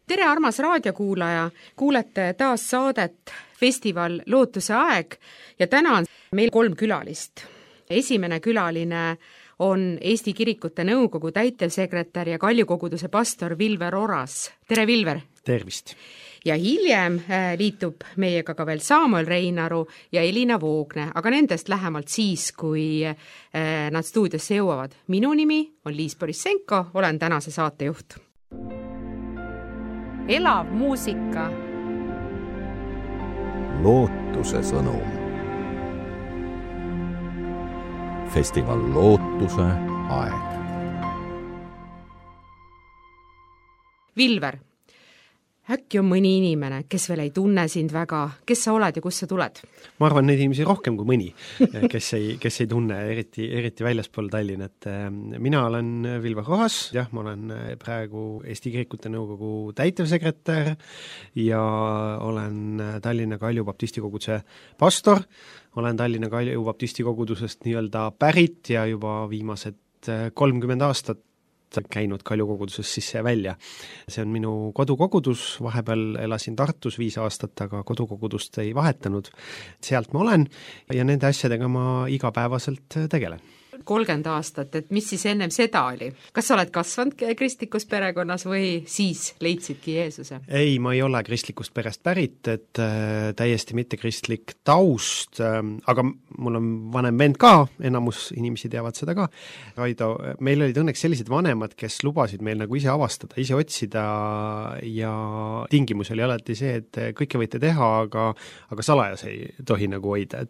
tere, armas raadiokuulaja! Kuulete taas saadet Festival Lootuse aeg ja täna on meil 3 külalist. Esimene külaline on Eesti Kirikute Nõukogu täitevsekretär ja Kaljukoguduse pastor Vilver Oras. Tere, Vilver! Tervist! Ja hiljem liitub meiega ka veel Samuel Reinaru ja Elina Voogne, aga nendest lähemalt siis, kui nad stuudiosse jõuavad. Minu nimi on Liis Borissenko, olen tänase saatejuht. Elav muusika. Lootuse sõnum. Festival Lootuse aeg. Vilver, äkki on mõni inimene, kes veel ei tunne sind väga, kes sa oled ja kust sa tuled? Ma arvan neid inimesi rohkem kui mõni, kes ei tunne eriti väljaspool Tallinnat. Mina olen Vilver Oras, ma olen praegu Eesti Kirikute Nõukogu täitevsekretär ja olen Tallinna Kalju baptistikoguduse pastor, olen Tallinna Kalju baptistikogudusest nii-öelda pärit ja juba viimased 30 aastat käinud Kaljukogudusest sisse ja välja. See on minu kodukogudus, vahepeal elasin Tartus 5 aastat, aga kodukogudust ei vahetanud. Sealt ma olen ja nende asjadega ma igapäevaselt tegelen. 30 aastat, et mis siis ennem seda oli? Kas sa oled kasvanud kristlikus perekonnas või siis leidsidki Jeesuse? Ei, ma ei ole kristlikust perest pärit, et täiesti mitte kristlik taust, aga mul on vanem vend ka, enamus inimesi teavad seda ka. Raido, meil olid õnneks sellised vanemad, kes lubasid meil nagu ise avastada, ise otsida ja tingimus oli alati see, et kõike võite teha, aga salajas ei tohi nagu hoida.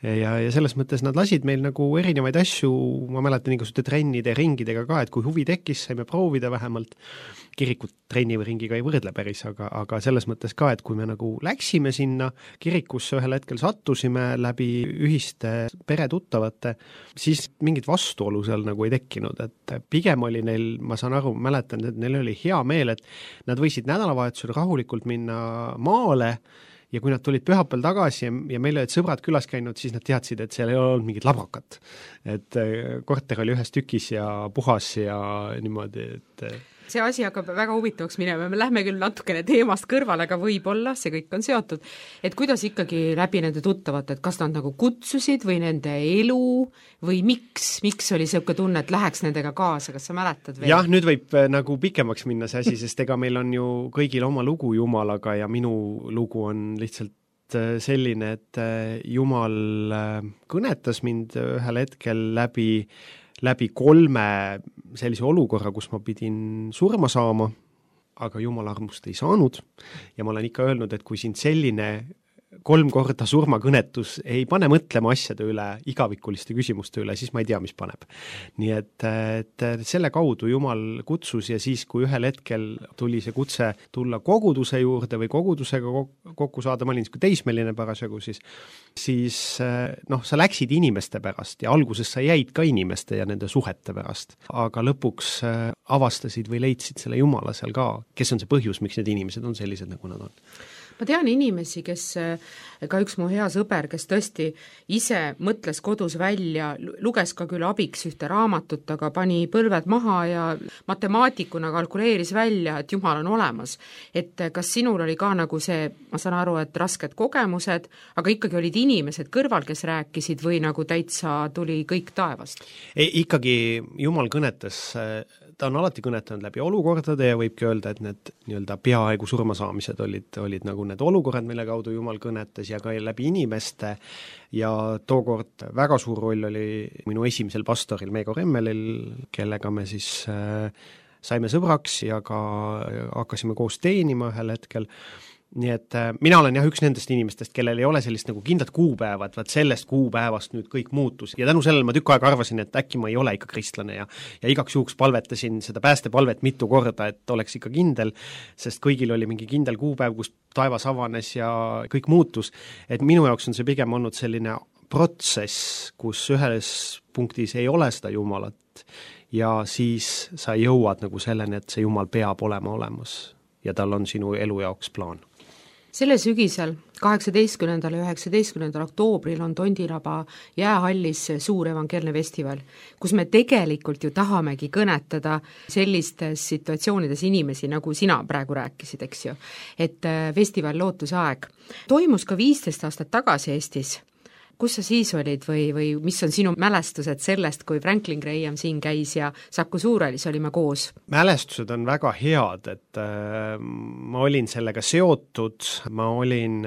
Ja selles mõttes nad lasid meil nagu erinevaid asju, ma mäletan igasuguste trennide ja ringidega ka, et kui huvi tekkis, saime proovida vähemalt. Kirikut trenni või ringiga ei võrdle päris, aga selles mõttes ka, et kui me nagu läksime sinna kirikusse, ühel hetkel sattusime läbi ühiste peretuttavate, siis mingit vastuolu seal nagu ei tekkinud, et pigem oli neil, ma saan aru, mäletan, et neil oli hea meel, et nad võisid nädalavahetusel rahulikult minna maale ja kui nad tulid pühapäeval tagasi ja meil olid sõbrad külas käinud, siis nad teadsid, et seal ei olnud mingit labrakat. Et korter oli ühes tükis ja puhas ja niimoodi, et see asi hakkab väga huvitavaks minema, me lähme küll natukene teemast kõrvale, aga võib-olla see kõik on seotud. Et kuidas ikkagi läbi nende tuttavate, et kas nad nagu kutsusid või nende elu või miks oli selline tunne, et läheks nendega kaasa, kas sa mäletad veel? Jah, nüüd võib nagu pikemaks minna see asi, sest ega meil on ju kõigil oma lugu Jumalaga ja minu lugu on lihtsalt selline, et Jumal kõnetas mind ühel hetkel läbi 3 sellise olukorra, kus ma pidin surma saama, aga Jumala armust ei saanud ja ma olen ikka öelnud, et kui sind selline 3 korda surmakõnetus ei pane mõtlema asjade üle, igavikuliste küsimuste üle, siis ma ei tea, mis paneb. Nii et selle kaudu Jumal kutsus ja siis, kui ühel hetkel tuli see kutse tulla koguduse juurde või kogudusega kokku saada, ma olin teismeline parasjagu, siis sa läksid inimeste pärast ja alguses sa jäid ka inimeste ja nende suhete pärast, aga lõpuks avastasid või leidsid selle Jumala seal ka, kes on see põhjus, miks need inimesed on sellised, nagu nad on. Ma tean inimesi, kes, ka üks mu hea sõber, kes tõesti ise mõtles kodus välja, luges ka küll abiks ühte raamatut, aga pani põlved maha ja matemaatikuna kalkuleeris välja, et Jumal on olemas. Et kas sinul oli ka nagu see, ma saan aru, et rasked kogemused, aga ikkagi olid inimesed kõrval, kes rääkisid või nagu täitsa tuli kõik taevast? Ikkagi Jumal kõnetas, ta on alati kõnetanud läbi olukordade ja võibki öelda, et need nii-öelda peaaegu surmasaamised olid nagu need olukorrad, mille kaudu Jumal kõnetas ja ka läbi inimeste ja tookord väga suur roll oli minu esimesel pastoril Meego Remmelil, kellega me siis saime sõbraks ja ka hakkasime koos teenima ühel hetkel. Nii et mina olen üks nendest inimestest, kellel ei ole sellist nagu kindlat kuupäevad, vaat sellest kuupäevast nüüd kõik muutus. Ja tänu sellele ma tükk aega arvasin, et äkki ma ei ole ikka kristlane ja igaks juhuks palvetasin seda päästepalvet mitu korda, et oleks ikka kindel, sest kõigil oli mingi kindel kuupäev, kus taevas avanes ja kõik muutus. Et minu jaoks on see pigem olnud selline protsess, kus ühes punktis ei ole seda Jumalat ja siis sa jõuad nagu selleni, et see Jumal peab olema olemas ja tal on sinu elu jaoks plaan. Selle sügisel 18. ja 19. oktoobril on Tondiraba jäähallis suur evangeelne festival, kus me tegelikult ju tahamegi kõnetada sellistes situatsioonides inimesi, nagu sina praegu rääkisid, eks ju. Et festival Lootusaeg toimus ka 15 aastat tagasi Eestis. Kus sa siis olid või mis on sinu mälestused sellest, kui Franklin Graham siin käis ja Saku Suurhallis olime koos? Mälestused on väga head, et ma olin sellega seotud, ma olin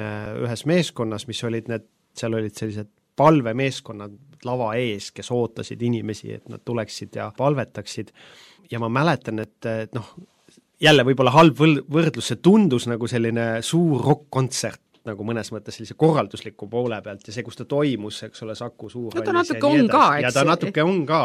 ühes meeskonnas, mis olid seal olid sellised palvemeeskonnad lava ees, kes ootasid inimesi, et nad tuleksid ja palvetaksid. Ja ma mäletan, et jälle võib-olla halb võrdlus, see tundus nagu selline suur rock-kontsert, nagu mõnes mõttes sellise korraldusliku poole pealt ja see, kus ta toimus, eks ole, Saku Suurhallis. No ta natuke on ka, eks? Ja ta natuke on ka.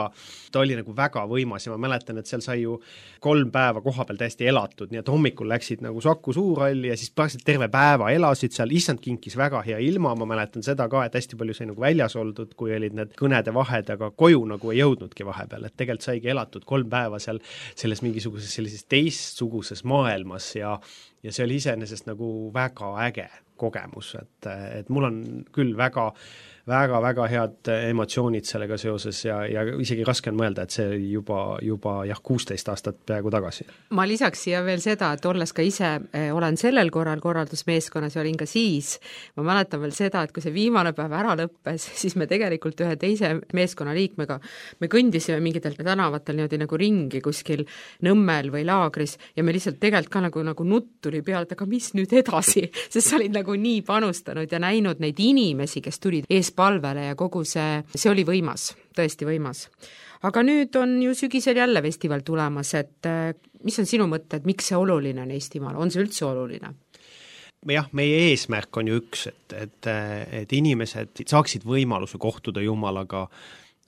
Ta oli nagu väga võimas ja ma mäletan, et seal sai ju 3 päeva koha peal täiesti elatud, nii et hommikul läksid nagu Saku Suurhalli ja siis praktiliselt terve päeva elasid seal, issand kinkis väga hea ilma, ma mäletan seda ka, et hästi palju sai nagu väljas oldud, kui olid need kõnede vahed, aga koju nagu ei jõudnudki vahepeal, et tegelikult saigi elatud 3 päeva seal selles mingisuguses sellises teistsuguses maailmas ja see oli iseenesest nagu väga äge kogemus, et mul on küll väga head emotsioonid sellega seoses ja isegi raske on mõelda, et see juba 16 aastat peaaegu tagasi. Ma lisaks siia veel seda, et olles ka ise olen sellel korral korraldusmeeskonnas ja olin ka siis, ma mäletan veel seda, et kui see viimane päev ära lõppes, siis me tegelikult ühe teise meeskonna liikmega, me kõndisime mingitel tänavatel niimoodi nagu ringi kuskil Nõmmel või Laagris ja me lihtsalt tegelikult ka nagu nutt tuli peale, et aga mis nüüd edasi, sest sa olid nagu nii panustanud ja näinud neid inimesi, kes tulid eespalvele ja kogu see oli võimas, tõesti võimas. Aga nüüd on ju sügisel jälle festival tulemas, et mis on sinu mõtted, miks see oluline on Eestimaal, on see üldse oluline? Jah, meie eesmärk on ju üks, et inimesed saaksid võimaluse kohtuda Jumalaga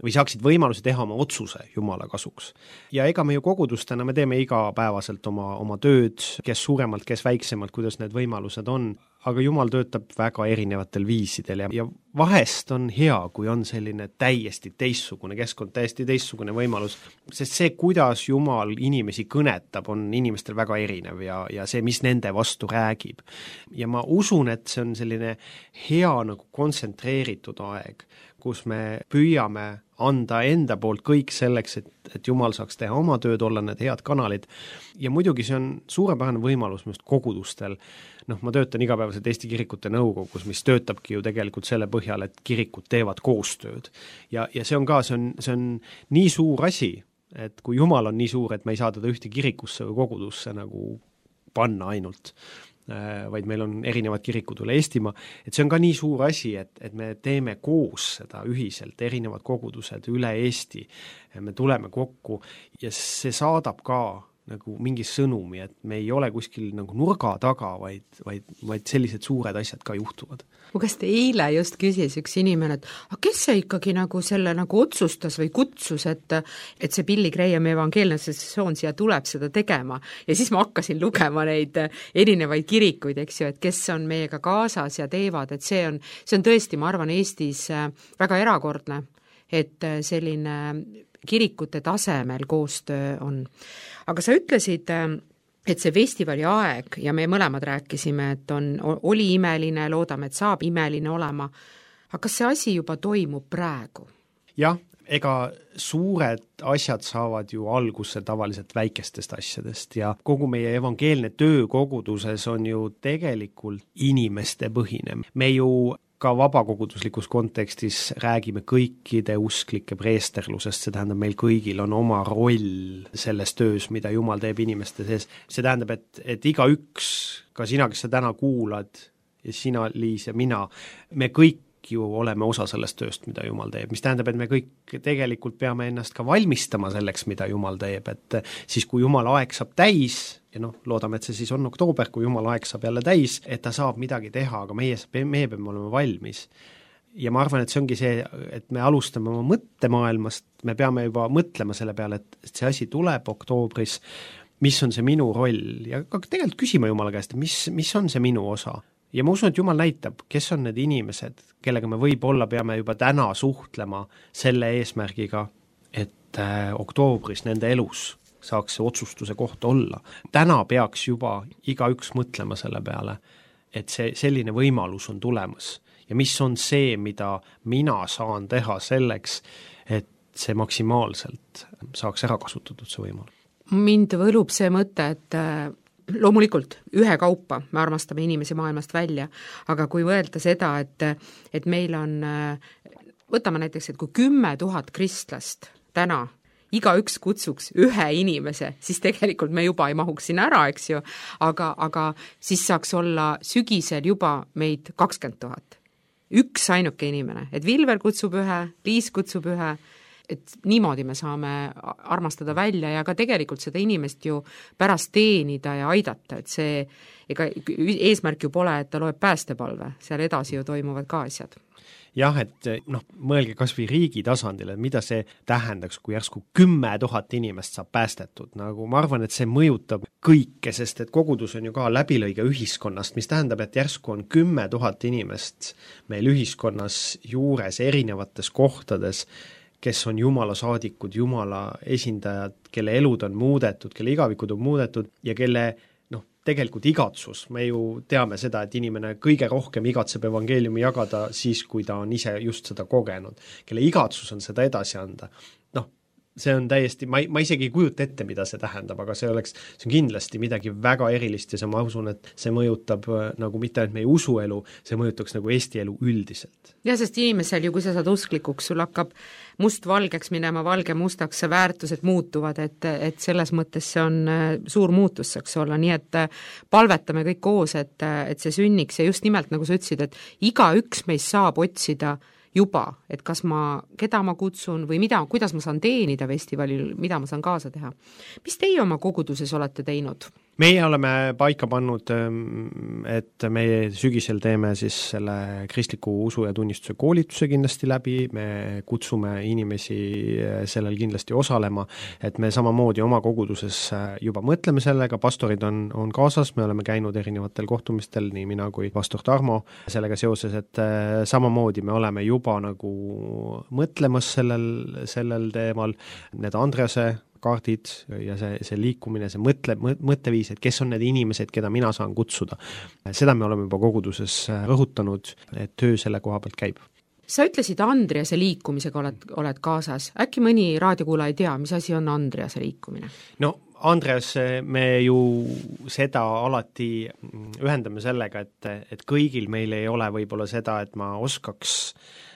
või saaksid võimaluse teha oma otsuse Jumala kasuks. Ja ega me ju kogudustena, me teeme igapäevaselt oma tööd, kes suuremalt, kes väiksemalt, kuidas need võimalused on, aga Jumal töötab väga erinevatel viisidel ja vahest on hea, kui on selline täiesti teistsugune keskkond, täiesti teistsugune võimalus, sest see, kuidas Jumal inimesi kõnetab, on inimestel väga erinev ja see, mis nende vastu räägib. Ja ma usun, et see on selline hea nagu kontsentreeritud aeg, kus me püüame anda enda poolt kõik selleks, et Jumal saaks teha oma tööd, olla need head kanalid. Ja muidugi see on suurepärane võimalus just kogudustel. Ma töötan igapäevaselt Eesti Kirikute Nõukogus, mis töötabki ju tegelikult selle põhjal, et kirikud teevad koostööd. Ja see on nii suur asi, et kui Jumal on nii suur, et me ei saa teda ühte kirikusse või kogudusse nagu panna ainult, vaid meil on erinevad kirikud üle Eestimaa, et see on ka nii suur asi, et me teeme koos seda ühiselt, erinevad kogudused üle Eesti, me tuleme kokku ja see saadab ka nagu mingi sõnumi, et me ei ole kuskil nagu nurga taga, vaid sellised suured asjad ka juhtuvad. Kas te eile just küsis üks inimene, et kes see ikkagi nagu selle nagu otsustas või kutsus, et see Billy Graham evangeelne sessioon siia tuleb seda tegema ja siis ma hakkasin lugema neid erinevaid kirikuid, eks ju, et kes on meiega kaasas ja teevad, et see on tõesti, ma arvan, Eestis väga erakordne, et selline kirikute tasemel koostöö on. Aga sa ütlesid, et see festivali aeg ja me mõlemad rääkisime, et oli imeline, loodame, et saab imeline olema. Aga kas see asi juba toimub praegu? Jah, ega suured asjad saavad ju alguse tavaliselt väikestest asjadest ja kogu meie evangeelne töö koguduses on ju tegelikult inimeste põhine. Me ju ka vabakoguduslikus kontekstis räägime kõikide usklike preesterlusest, see tähendab, meil kõigil on oma roll selles töös, mida Jumal teeb inimeste sees. See tähendab, et igaüks, ka sina, kes sa täna kuulad, ja sina, Liis, ja mina, me kõik ju oleme osa sellest tööst, mida Jumal teeb, mis tähendab, et me kõik tegelikult peame ennast ka valmistama selleks, mida Jumal teeb, et siis kui Jumala aeg saab täis, ja loodame, et see siis on oktoober, kui Jumala aeg saab jälle täis, et ta saab midagi teha, aga meie peame olema valmis. Ja ma arvan, et see ongi see, et me alustame oma mõttemaailmast, me peame juba mõtlema selle peale, et see asi tuleb oktoobris, mis on see minu roll ja ka tegelikult küsima Jumala käest, mis on see minu osa. Ja ma usun, et Jumal näitab, kes on need inimesed, kellega me võib-olla peame juba täna suhtlema selle eesmärgiga, et oktoobris nende elus saaks see otsustuse koht olla. Täna peaks juba igaüks mõtlema selle peale, et see selline võimalus on tulemas ja mis on see, mida mina saan teha selleks, et see maksimaalselt saaks ära kasutatud, see võimalus. Mind võlub see mõte, et loomulikult ühekaupa me armastame inimesi maailmast välja, aga kui võelda seda, et meil on, võtame näiteks, et kui 10 000 kristlast täna igaüks kutsuks ühe inimese, siis tegelikult me juba ei mahuks sinna ära, eks ju, aga siis saaks olla sügisel juba meid 20 000. Üks ainuke inimene, et Vilver kutsub ühe, Liis kutsub ühe, et niimoodi me saame armastada välja ja ka tegelikult seda inimest ju pärast teenida ja aidata, et see, ega eesmärk ju pole, et ta loeb päästepalve, seal edasi ju toimuvad ka asjad. Jah, et mõelge kas või riigi tasandil, et mida see tähendaks, kui järsku 10 000 inimest saab päästetud, nagu ma arvan, et see mõjutab kõike, sest et kogudus on ju ka läbilõige ühiskonnast, mis tähendab, et järsku on 10 000 inimest meil ühiskonnas juures erinevates kohtades, kes on Jumala saadikud, Jumala esindajad, kelle elud on muudetud, kelle igavikud on muudetud ja kelle tegelikult igatsus, me ju teame seda, et inimene kõige rohkem igatseb evangeeliumi jagada siis, kui ta on ise just seda kogenud, kelle igatsus on seda edasi anda. See on täiesti, ma isegi ei kujuta ette, mida see tähendab, aga see on kindlasti midagi väga erilist ja ma usun, et see mõjutab nagu mitte ainult meie usuelu, see mõjutaks nagu Eesti elu üldiselt. Ja, sest inimesel ju, kui sa saad usklikuks, sul hakkab must valgeks minema, valge mustaks, väärtused muutuvad, et selles mõttes see on suur muutus saaks olla, nii et palvetame kõik koos, et see sünniks ja just nimelt, nagu sa ütlesid, et igaüks meist saab otsida juba, et kas keda ma kutsun või kuidas ma saan teenida festivalil, mida ma saan kaasa teha. Mis teie oma koguduses olete teinud? Meie oleme paika pannud, et me sügisel teeme siis selle kristliku usu ja tunnistuse koolituse kindlasti läbi, me kutsume inimesi sellel kindlasti osalema, et me samamoodi oma koguduses juba mõtleme sellega, pastorid on kaasas, me oleme käinud erinevatel kohtumistel, nii mina kui pastor Tarmo sellega seoses, et samamoodi me oleme juba nagu mõtlemas sellel teemal, need Andrease kaardid ja see liikumine, see mõtteviis, et kes on need inimesed, keda mina saan kutsuda. Seda me oleme juba koguduses rõhutanud, et töö selle koha pealt käib. Sa ütlesid Andrease liikumisega oled kaasas. Äkki mõni raadiokuulaja ei tea, mis asi on Andrease liikumine? No Andreas, me ju seda alati ühendame sellega, et kõigil meil ei ole võib-olla seda, et ma oskaks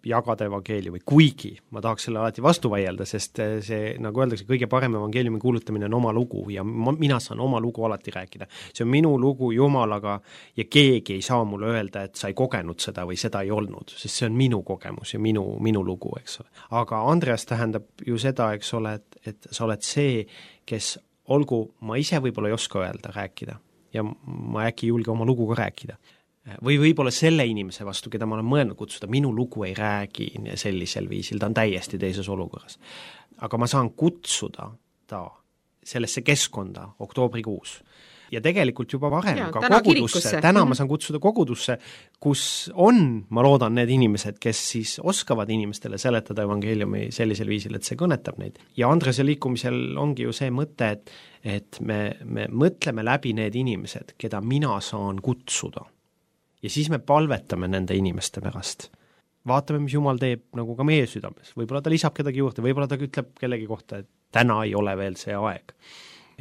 jagada evangeeliumi, kuigi ma tahaks selle alati vastu vaielda, sest see, nagu öeldakse, kõige parem evangeeliumi kuulutamine on oma lugu ja mina saan oma lugu alati rääkida. See on minu lugu Jumalaga ja keegi ei saa mulle öelda, et sa ei kogenud seda või seda ei olnud, sest see on minu kogemus ja minu lugu, eks ole. Aga Andreas tähendab ju seda, eks ole, et sa oled see, kes olgu, ma ise võib-olla ei oska öelda, rääkida ja ma äkki ei julge oma lugu ka rääkida. Või võib-olla selle inimese vastu, keda ma olen mõelnud kutsuda, minu lugu ei räägi sellisel viisil, ta on täiesti teises olukorras. Aga ma saan kutsuda ta sellesse keskkonda oktoobrikuus. Ja tegelikult juba varem ka kogudusse, täna ma saan kutsuda kogudusse, kus on, ma loodan, need inimesed, kes siis oskavad inimestele seletada evangeeliumi sellisel viisil, et see kõnetab neid. Ja Andrese liikumisel ongi ju see mõte, et me mõtleme läbi need inimesed, keda mina saan kutsuda. Ja siis me palvetame nende inimeste pärast. Vaatame, mis Jumal teeb nagu ka meie südames. Võib-olla ta lisab kedagi juurde, võib-olla ta ütleb kellegi kohta, et täna ei ole veel see aeg.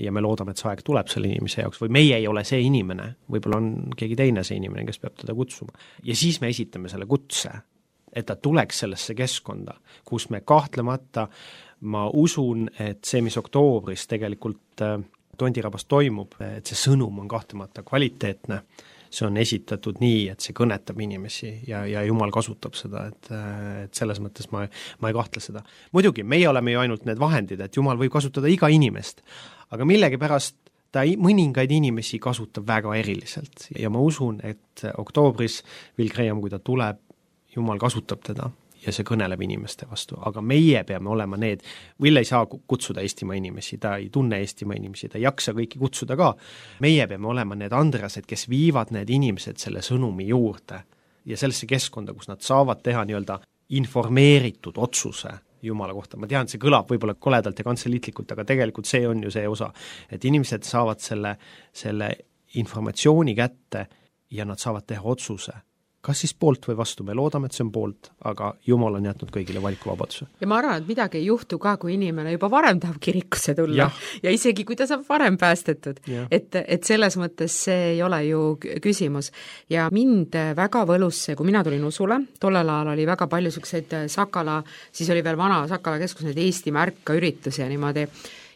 Ja me loodame, et see aeg tuleb selle inimese jaoks või meie ei ole see inimene, võib-olla on keegi teine see inimene, kes peab teda kutsuma. Ja siis me esitame selle kutse, et ta tuleks sellesse keskkonda, kus me kahtlemata, ma usun, et see, mis oktoobris tegelikult Tondirabas toimub, et see sõnum on kahtlemata kvaliteetne, see on esitatud nii, et see kõnetab inimesi ja Jumal kasutab seda, et selles mõttes ma ei kahtle seda. Muidugi, meie oleme ju ainult need vahendid, et Jumal võib kasutada iga inimest, aga millegipärast ta mõningaid inimesi kasutab väga eriliselt ja ma usun, et oktoobris Will Graham, kui ta tuleb, Jumal kasutab teda ja see kõneleb inimeste vastu, aga meie peame olema need, Will ei saa kutsuda Eestimaa inimesi, ta ei tunne Eestimaa inimesi, ta ei jaksa kõiki kutsuda ka, meie peame olema need Andreased, kes viivad need inimesed selle sõnumi juurde ja sellesse keskkonda, kus nad saavad teha nii-öelda informeeritud otsuse Jumala kohta. Ma tean, see kõlab võib-olla koledalt ja kantseliitlikult, aga tegelikult see on ju see osa, et inimesed saavad selle informatsiooni kätte ja nad saavad teha otsuse, kas siis poolt või vastu, me loodame, et see on poolt, aga Jumal on jätnud kõigile valikuvabaduse. Ja ma arvan, et midagi ei juhtu ka, kui inimene juba varem tahab kirikusse tulla ja isegi kui ta saab varem päästetud. Et selles mõttes see ei ole ju küsimus. Ja mind väga võlus see, kui mina tulin usule, tollel ajal oli väga palju selliseid Sakala, siis oli veel vana Sakala keskus, need Eesti märka üritusi ja niimoodi.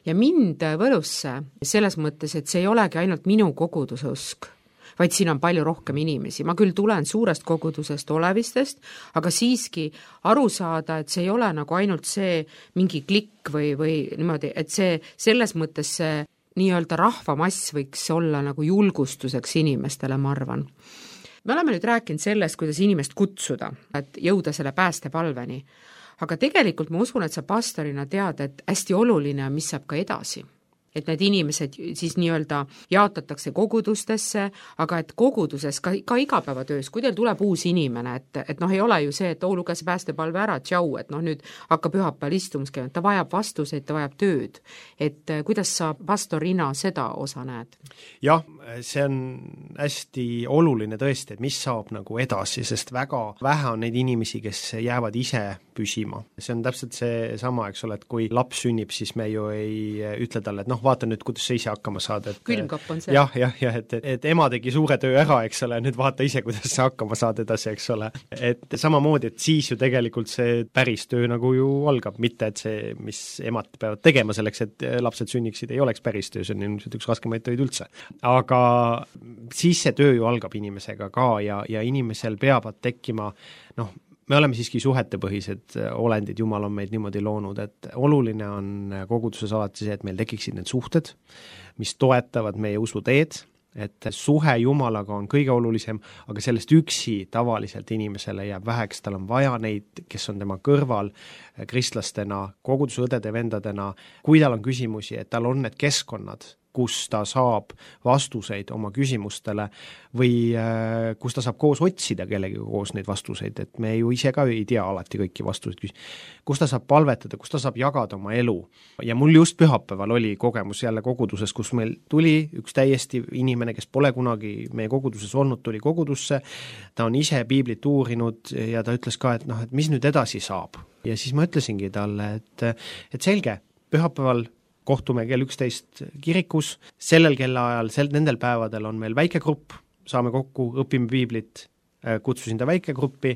Ja mind võlus see selles mõttes, et see ei olegi ainult minu koguduse usk, vaid siin on palju rohkem inimesi. Ma küll tulen suurest kogudusest olevistest, aga siiski aru saada, et see ei ole nagu ainult see mingi klikk või niimoodi, et see selles mõttes see nii-öelda rahvamass võiks olla nagu julgustuseks inimestele, ma arvan. Me oleme nüüd rääkinud sellest, kuidas inimest kutsuda, et jõuda selle päästepalveni. Aga tegelikult ma usun, et sa pastorina tead, et hästi oluline on, mis saab ka edasi. Et need inimesed siis nii-öelda jaotatakse kogudustesse, aga et koguduses ka igapäevatöös, kui teil tuleb uus inimene, et ei ole ju see, et luges päästepalve ära, tšau, et nüüd hakkab pühapäeval istumus käima, ta vajab vastuseid, ta vajab tööd. Et kuidas sa pastorina seda osa näed? Jah, see on hästi oluline tõesti, et mis saab nagu edasi, sest väga vähe on neid inimesi, kes jäävad ise püsima. See on täpselt see sama, eks ole, et kui laps sünnib, siis me ju ei ütle talle, et vaata nüüd, kuidas sa ise hakkama saad. Külmkapp on see. Jah, et ema tegi suure töö ära, eks ole, nüüd vaata ise, kuidas sa hakkama saad edasi, eks ole. Et samamoodi, et siis ju tegelikult see päris töö nagu ju algab, mitte et see, mis emad peavad tegema selleks, et lapsed sünniksid, ei oleks päris töö, see on ilmselt üks raskemaid töid üldse. Aga siis see töö ju algab inimesega ka ja inimesel peavad tekkima, me oleme siiski suhetepõhised olendid, Jumal on meid niimoodi loonud, et oluline on koguduses alati see, et meil tekiksid need suhted, mis toetavad meie usuteed, et suhe Jumalaga on kõige olulisem, aga sellest üksi tavaliselt inimesele jääb väheks, tal on vaja neid, kes on tema kõrval kristlastena, koguduse õdede vendadena, kui tal on küsimusi, et tal on need keskkonnad, kus ta saab vastuseid oma küsimustele või kus ta saab koos otsida kellegagi koos neid vastuseid, et me ju ise ka ei tea alati kõiki vastuseid, kus ta saab palvetada, kus ta saab jagada oma elu. Ja mul just pühapäeval oli kogemus jälle koguduses, kus meil tuli üks täiesti inimene, kes pole kunagi meie koguduses olnud, tuli kogudusse, ta on ise piiblit uurinud ja ta ütles ka, et et mis nüüd edasi saab. Ja siis ma ütlesingi talle, et selge, pühapäeval kohtume kell 11 kirikus, sellel kellaajal, nendel päevadel on meil väikegrupp, saame kokku, õpime piiblit, kutsusin ta väikegruppi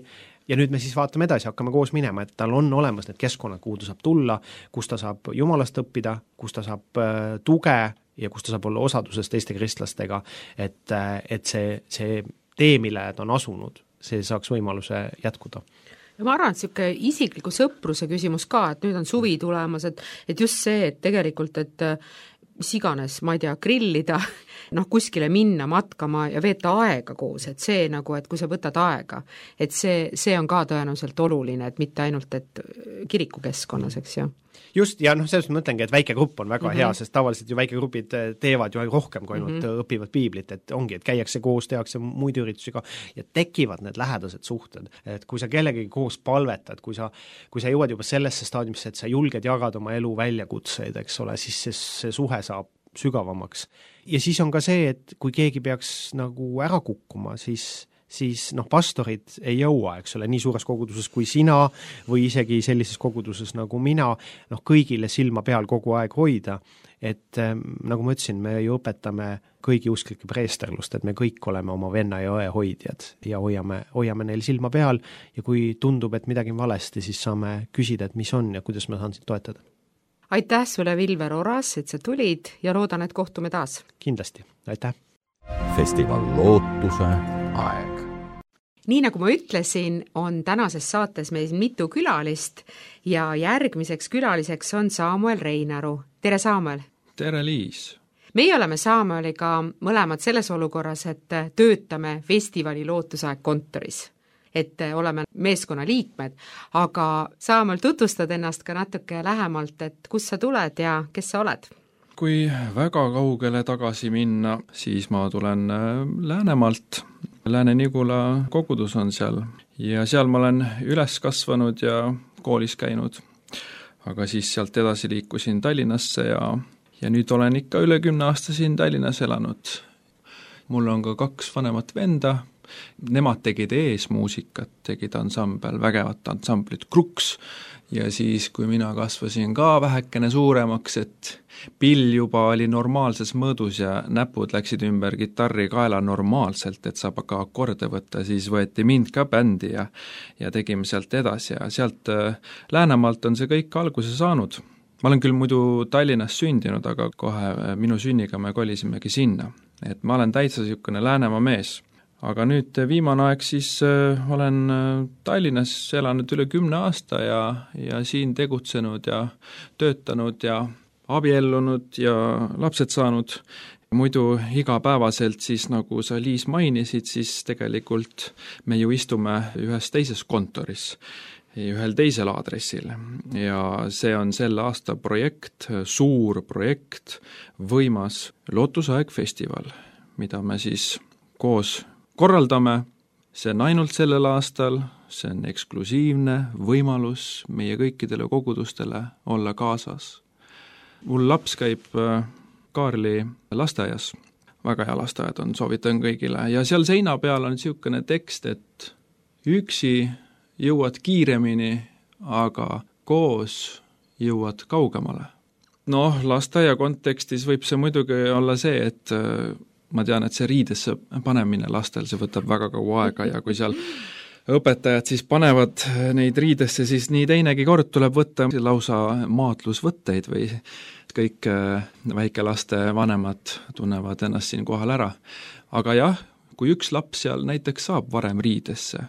ja nüüd me siis vaatame edasi, hakkame koos minema, et tal on olemas need keskkonnad, kuhu ta saab tulla, kus ta saab Jumalast õppida, kus ta saab tuge ja kus ta saab olla osaduses teiste kristlastega, et see tee, mille ta on asunud, see saaks võimaluse jätkuda. Ja ma arvan, et selline isikliku sõpruse küsimus ka, et nüüd on suvi tulemas, et just see, et tegelikult, et mis iganes, ma ei tea, grillida, kuskile minna, matkama ja veeta aega koos, et see nagu, et kui sa võtad aega, et see on ka tõenäoliselt oluline, et mitte ainult, et kirikukeskkonnas, eks ju. Just, ja selles mõtlengi, et väikegrupp on väga hea, sest tavaliselt ju väikegrupid teevad ju rohkem, kui ainult õpivad piiblit, et ongi, et käiakse koos, tehakse muid üritusi ka ja tekivad need lähedased suhted. Et kui sa kellegagi koos palvetad, kui sa jõuad juba sellesse staadiumisse, et sa julged jagada oma elu väljakutseid, eks ole, siis see suhe saab sügavamaks. Ja siis on ka see, et kui keegi peaks nagu ära kukkuma, siis pastorid ei jõua, eks ole, nii suures koguduses kui sina või isegi sellises koguduses nagu mina, kõigile silma peal kogu aeg hoida, et nagu ma ütlesin, me ju õpetame kõigi usklike preesterlust, et me kõik oleme oma venna ja õe hoidjad ja hoiame neil silma peal ja kui tundub, et midagi on valesti, siis saame küsida, et mis on ja kuidas ma saan sind toetada. Aitäh sulle, Vilver Oras, et sa tulid ja loodan, et kohtume taas. Kindlasti, aitäh. Festival Lootuse aeg. Nii nagu ma ütlesin, on tänases saates meil mitu külalist ja järgmiseks külaliseks on Samuel Reinaru. Tere, Samuel! Tere, Liis! Meie oleme Samueliga mõlemad selles olukorras, et töötame festivali Lootusaeg kontoris. Et oleme meeskonna liikmed, aga Samuel, tutvustad ennast ka natuke lähemalt, et kust sa tuled ja kes sa oled? Kui väga kaugele tagasi minna, siis ma tulen Läänemaalt. Lääne-Nigula kogudus on seal ja seal ma olen üles kasvanud ja koolis käinud. Aga siis sealt edasi liikusin Tallinnasse ja nüüd olen ikka üle 10 aasta siin Tallinnas elanud. mul on ka 2 vanemat venda, nemad tegid eesmuusikat, tegid ansambel, vägevat ansamblit Kruks, ja siis, kui mina kasvasin ka vähekene suuremaks, et pill juba oli normaalses mõõdus ja näpud läksid ümber kitarri kaela normaalselt, et saab ka akorde võtta, siis võeti mind ka bändi ja tegime sealt edasi ja sealt Läänemaalt on see kõik alguse saanud. Ma olen küll muidu Tallinnas sündinud, aga kohe minu sünniga me kolisimegi sinna. Et ma olen täitsa niisugune Läänemaa mees. Aga nüüd viimane aeg siis olen Tallinnas elanud üle 10 aasta ja siin tegutsenud ja töötanud ja abiellunud ja lapsed saanud. Muidu igapäevaselt siis, nagu sa Liis mainisid, siis tegelikult me ju istume ühes teises kontoris, ühel teisel aadressil ja see on selle aasta projekt, suur projekt, võimas Lootusaeg festival, mida me siis koos korraldame, see on ainult sellel aastal, see on eksklusiivne võimalus meie kõikidele kogudustele olla kaasas. Mul laps käib Kaarli lasteaias, väga hea lasteaed on, soovitan kõigile, ja seal seina peal on niisugune tekst, et üksi jõuad kiiremini, aga koos jõuad kaugemale. Noh, lasteaia kontekstis võib see muidugi olla see, et ma tean, et see riidesse panemine lastel, see võtab väga kaua aega ja kui seal õpetajad siis panevad neid riidesse, siis nii teinegi kord tuleb võtta lausa maatlusvõtteid või kõik väikelaste vanemad tunnevad ennast siin kohal ära. Aga jah, kui üks laps seal näiteks saab varem riidesse,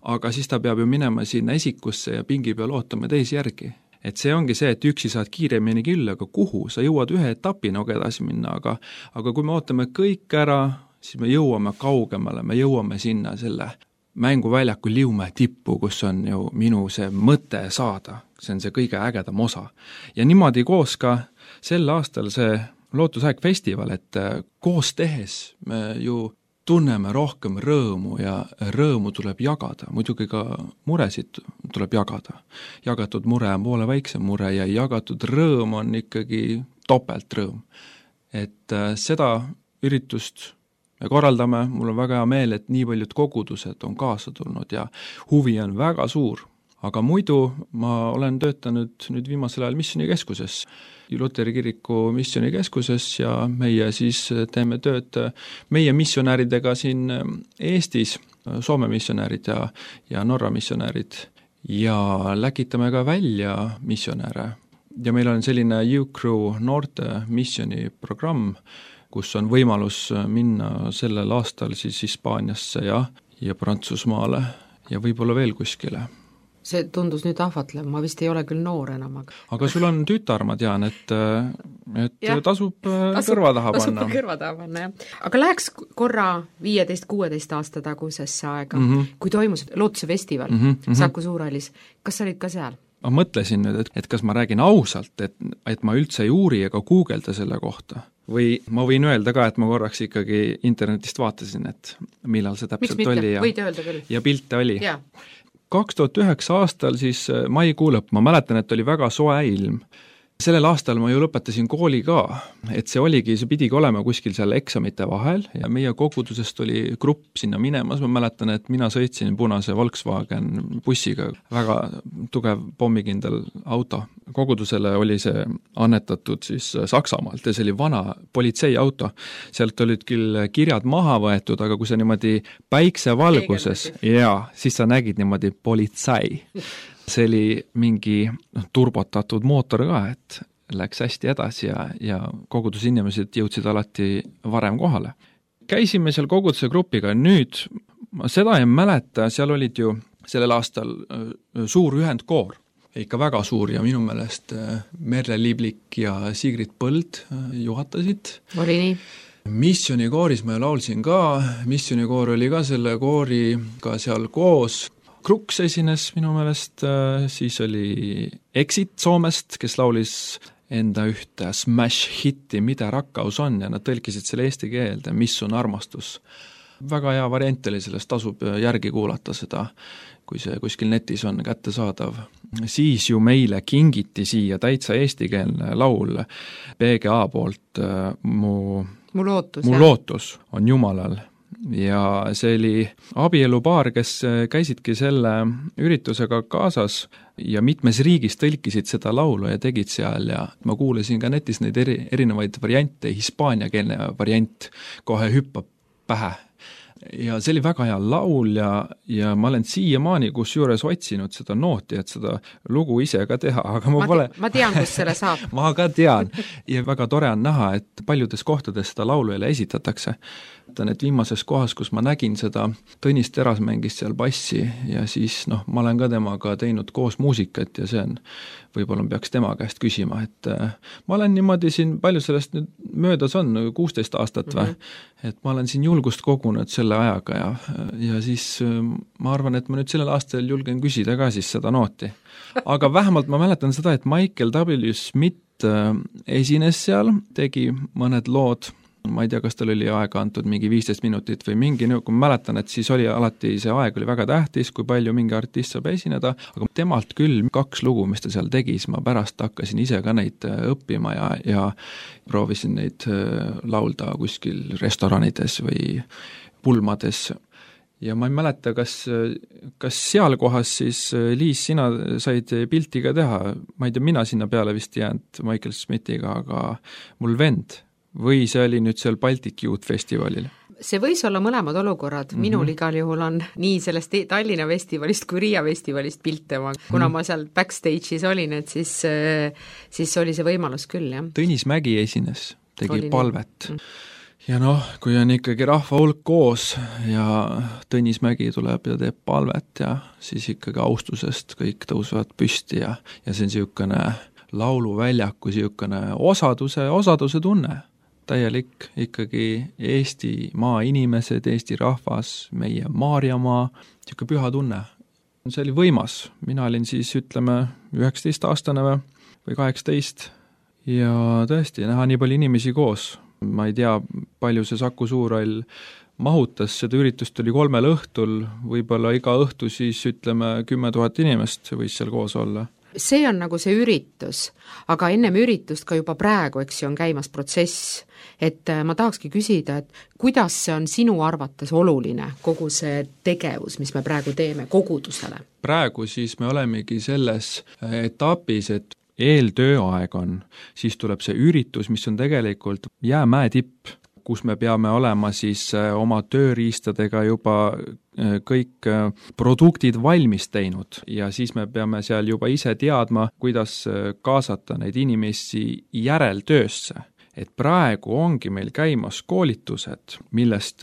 aga siis ta peab ju minema sinna esikusse ja pingi peal ootama teisi järgi. Et see ongi see, et üksi saad kiiremini küll, aga kuhu? Sa jõuad ühe etapina edasi minna, aga kui me ootame kõik ära, siis me jõuame kaugemale, me jõuame sinna selle mänguväljaku Liumäe tippu, kus on ju minu see mõte saada. See on see kõige ägedam osa. Ja niimoodi koos ka sel aastal see Lootusaeg festival, et koos tehes me ju tunneme rohkem rõõmu ja rõõmu tuleb jagada, muidugi ka muresid tuleb jagada. Jagatud mure on poole väiksem mure ja jagatud rõõm on ikkagi topelt rõõm. Et seda üritust me korraldame, mul on väga hea meel, et nii paljud kogudused on kaasa tulnud ja huvi on väga suur. Aga muidu ma olen töötanud nüüd viimasel ajal missionikeskuses, Luteri kiriku missionikeskuses ja meie siis teeme tööd meie missionääridega siin Eestis, Soome missionäärid ja Norra missionäärid ja läkitame ka välja missionääre. Ja meil on selline U-Crew noorte missioniprogramm, kus on võimalus minna sellel aastal siis Hispaaniasse ja Prantsusmaale ja võib-olla veel kuskile. See tundus nüüd ahvatlev, ma vist ei ole küll noor enam. Aga sul on tütar, ma tean, et tasub kõrva taha panna. Tasub kõrva taha panna, jah. Aga läheks korra 15-16 aasta tagusesse aega, kui toimus Lootuse festival Saku Suurhallis. Kas sa olid ka seal? Ma mõtlesin nüüd, et kas ma räägin ausalt, et ma üldse ei uuri ega guugelda selle kohta. Või ma võin öelda ka, et ma korraks ikkagi internetist vaatasin, et millal see täpselt oli. Võid öelda küll. Ja pilte oli. Ja. 2009 aastal siis maikuu lõpp, ma mäletan, et oli väga soe ilm. Sellel aastal ma ju lõpetasin kooli ka, et see pidigi olema kuskil seal eksamite vahel ja meie kogudusest oli grupp sinna minemas, ma mäletan, et mina sõitsin punase Volkswagen bussiga, väga tugev pommikindel auto. Kogudusele oli see annetatud siis Saksamaalt ja see oli vana politseiauto. Sealt olid küll kirjad maha võetud, aga kui sa niimoodi päiksevalguses, siis sa nägid niimoodi politsei. See oli mingi turbotatud mootor ka, et läks hästi edasi ja kogudusinimesed jõudsid alati varem kohale. Käisime seal koguduse grupiga, nüüd seda ei mäleta, seal olid ju sellel aastal suur ühendkoor, ikka väga suur ja minu meelest Merle Liiblik ja Sigrid Põld juhatasid. Oli nii? Missionikooris ma laulsin ka, missionikoor oli ka selle kooriga seal koos. Kruks esines minu meelest, siis oli Exit Soomest, kes laulis enda ühte smash hitti Mida rakkaus on ja nad tõlkisid selle eesti keelde, mis on armastus. Väga hea variant oli sellest, tasub järgi kuulata seda, kui see kuskil netis on kättesaadav. Siis ju meile kingiti siia täitsa eestikeelne laul PGA poolt mu Mu lootus, Mu lootus on Jumalal. Ja see oli abielupaar, kes käisidki selle üritusega kaasas ja mitmes riigis tõlkisid seda laulu ja tegid seal ja ma kuulasin ka netis neid erinevaid variante, hispaaniakeelne variant kohe hüppab pähe. Ja see oli väga hea laul ja ma olen siiamaani kusjuures otsinud seda nooti, et seda lugu ise ka teha, aga ma tean, kus selle saab. Ma ka tean ja väga tore on näha, et paljudes kohtades seda laulu jälle esitatakse. Et viimases kohas, kus ma nägin seda, Tõnis Teras mängis seal bassi ja siis ma olen ka temaga teinud koos muusikat ja see on, võib-olla peaks tema käest küsima, et ma olen niimoodi siin, palju sellest nüüd möödas on, 16 aastat või, et ma olen siin julgust kogunud selle ajaga ja siis ma arvan, et ma nüüd sellel aastal julgen küsida ka siis seda nooti. Aga vähemalt ma mäletan seda, et Michael W. Smith esines seal, tegi mõned lood, ma ei tea, kas tal oli aega antud mingi 15 minutit või mingi, kui ma mäletan, et siis oli alati see aeg oli väga tähtis, kui palju mingi artist saab esineda, aga temalt küll 2 lugu, mis ta seal tegi, siis ma pärast hakkasin ise ka neid õppima ja proovisin neid laulda kuskil restoranides või pulmades. Ja ma ei mäleta, kas seal kohas siis, Liis, sina said pilti ka teha, ma ei tea, mina sinna peale vist jäänud Michael Smithiga, aga mul vend või see oli nüüd seal Baltic Youth Festivalil? See võis olla mõlemad olukorrad, minul igal juhul on nii sellest Tallinna festivalist kui Riia festivalist pilte, kuna ma seal backstage'is olin, et siis oli see võimalus küll, jah. Tõnis Mägi esines, tegi palvet. Ja kui on ikkagi rahva hulk koos ja Tõnis Mägi tuleb ja teeb palvet ja siis ikkagi austusest kõik tõusevad püsti ja see on niisugune lauluväljaku niisugune osaduse tunne. Täielik ikkagi Eestimaa inimesed, Eesti rahvas, meie Maarjamaa, niisugune püha tunne. See oli võimas, mina olin siis 19-aastane või 18 ja tõesti näha nii palju inimesi koos. Ma ei tea, palju see Saku Suurhall mahutas, seda üritust oli 3 õhtul, võib-olla iga õhtu siis 10 000 inimest võis seal koos olla. See on nagu see üritus, aga ennem üritust ka juba praegu, eks ju, on käimas protsess, et ma tahakski küsida, et kuidas see on sinu arvates oluline, kogu see tegevus, mis me praegu teeme kogudusele? Praegu siis me olemegi selles etapis, et eeltööaeg on, siis tuleb see üritus, mis on tegelikult jäämäe tipp, kus me peame olema siis oma tööriistadega juba kõik produktid valmis teinud ja siis me peame seal juba ise teadma, kuidas kaasata neid inimesi järeltöösse. Et praegu ongi meil käimas koolitused, millest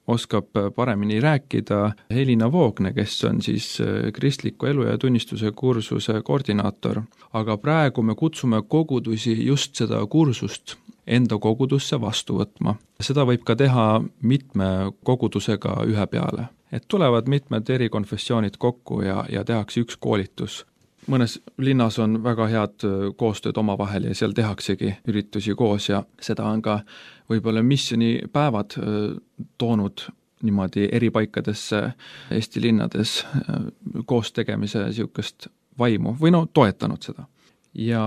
oskab paremini rääkida Helina Voogne, kes on siis kristliku elu ja tunnistuse kursuse koordinaator. Aga praegu me kutsume kogudusi just seda kursust enda kogudusse vastu võtma. Seda võib ka teha mitme kogudusega ühe peale. Et tulevad mitmed eri konfessioonid kokku ja tehakse üks koolitus. Mõnes linnas on väga head koostööd omavahel ja seal tehaksegi üritusi koos ja seda on ka võib-olla missioonipäevad toonud niimoodi eri paikadesse Eesti linnades koos tegemise niisugust vaimu või toetanud seda. Ja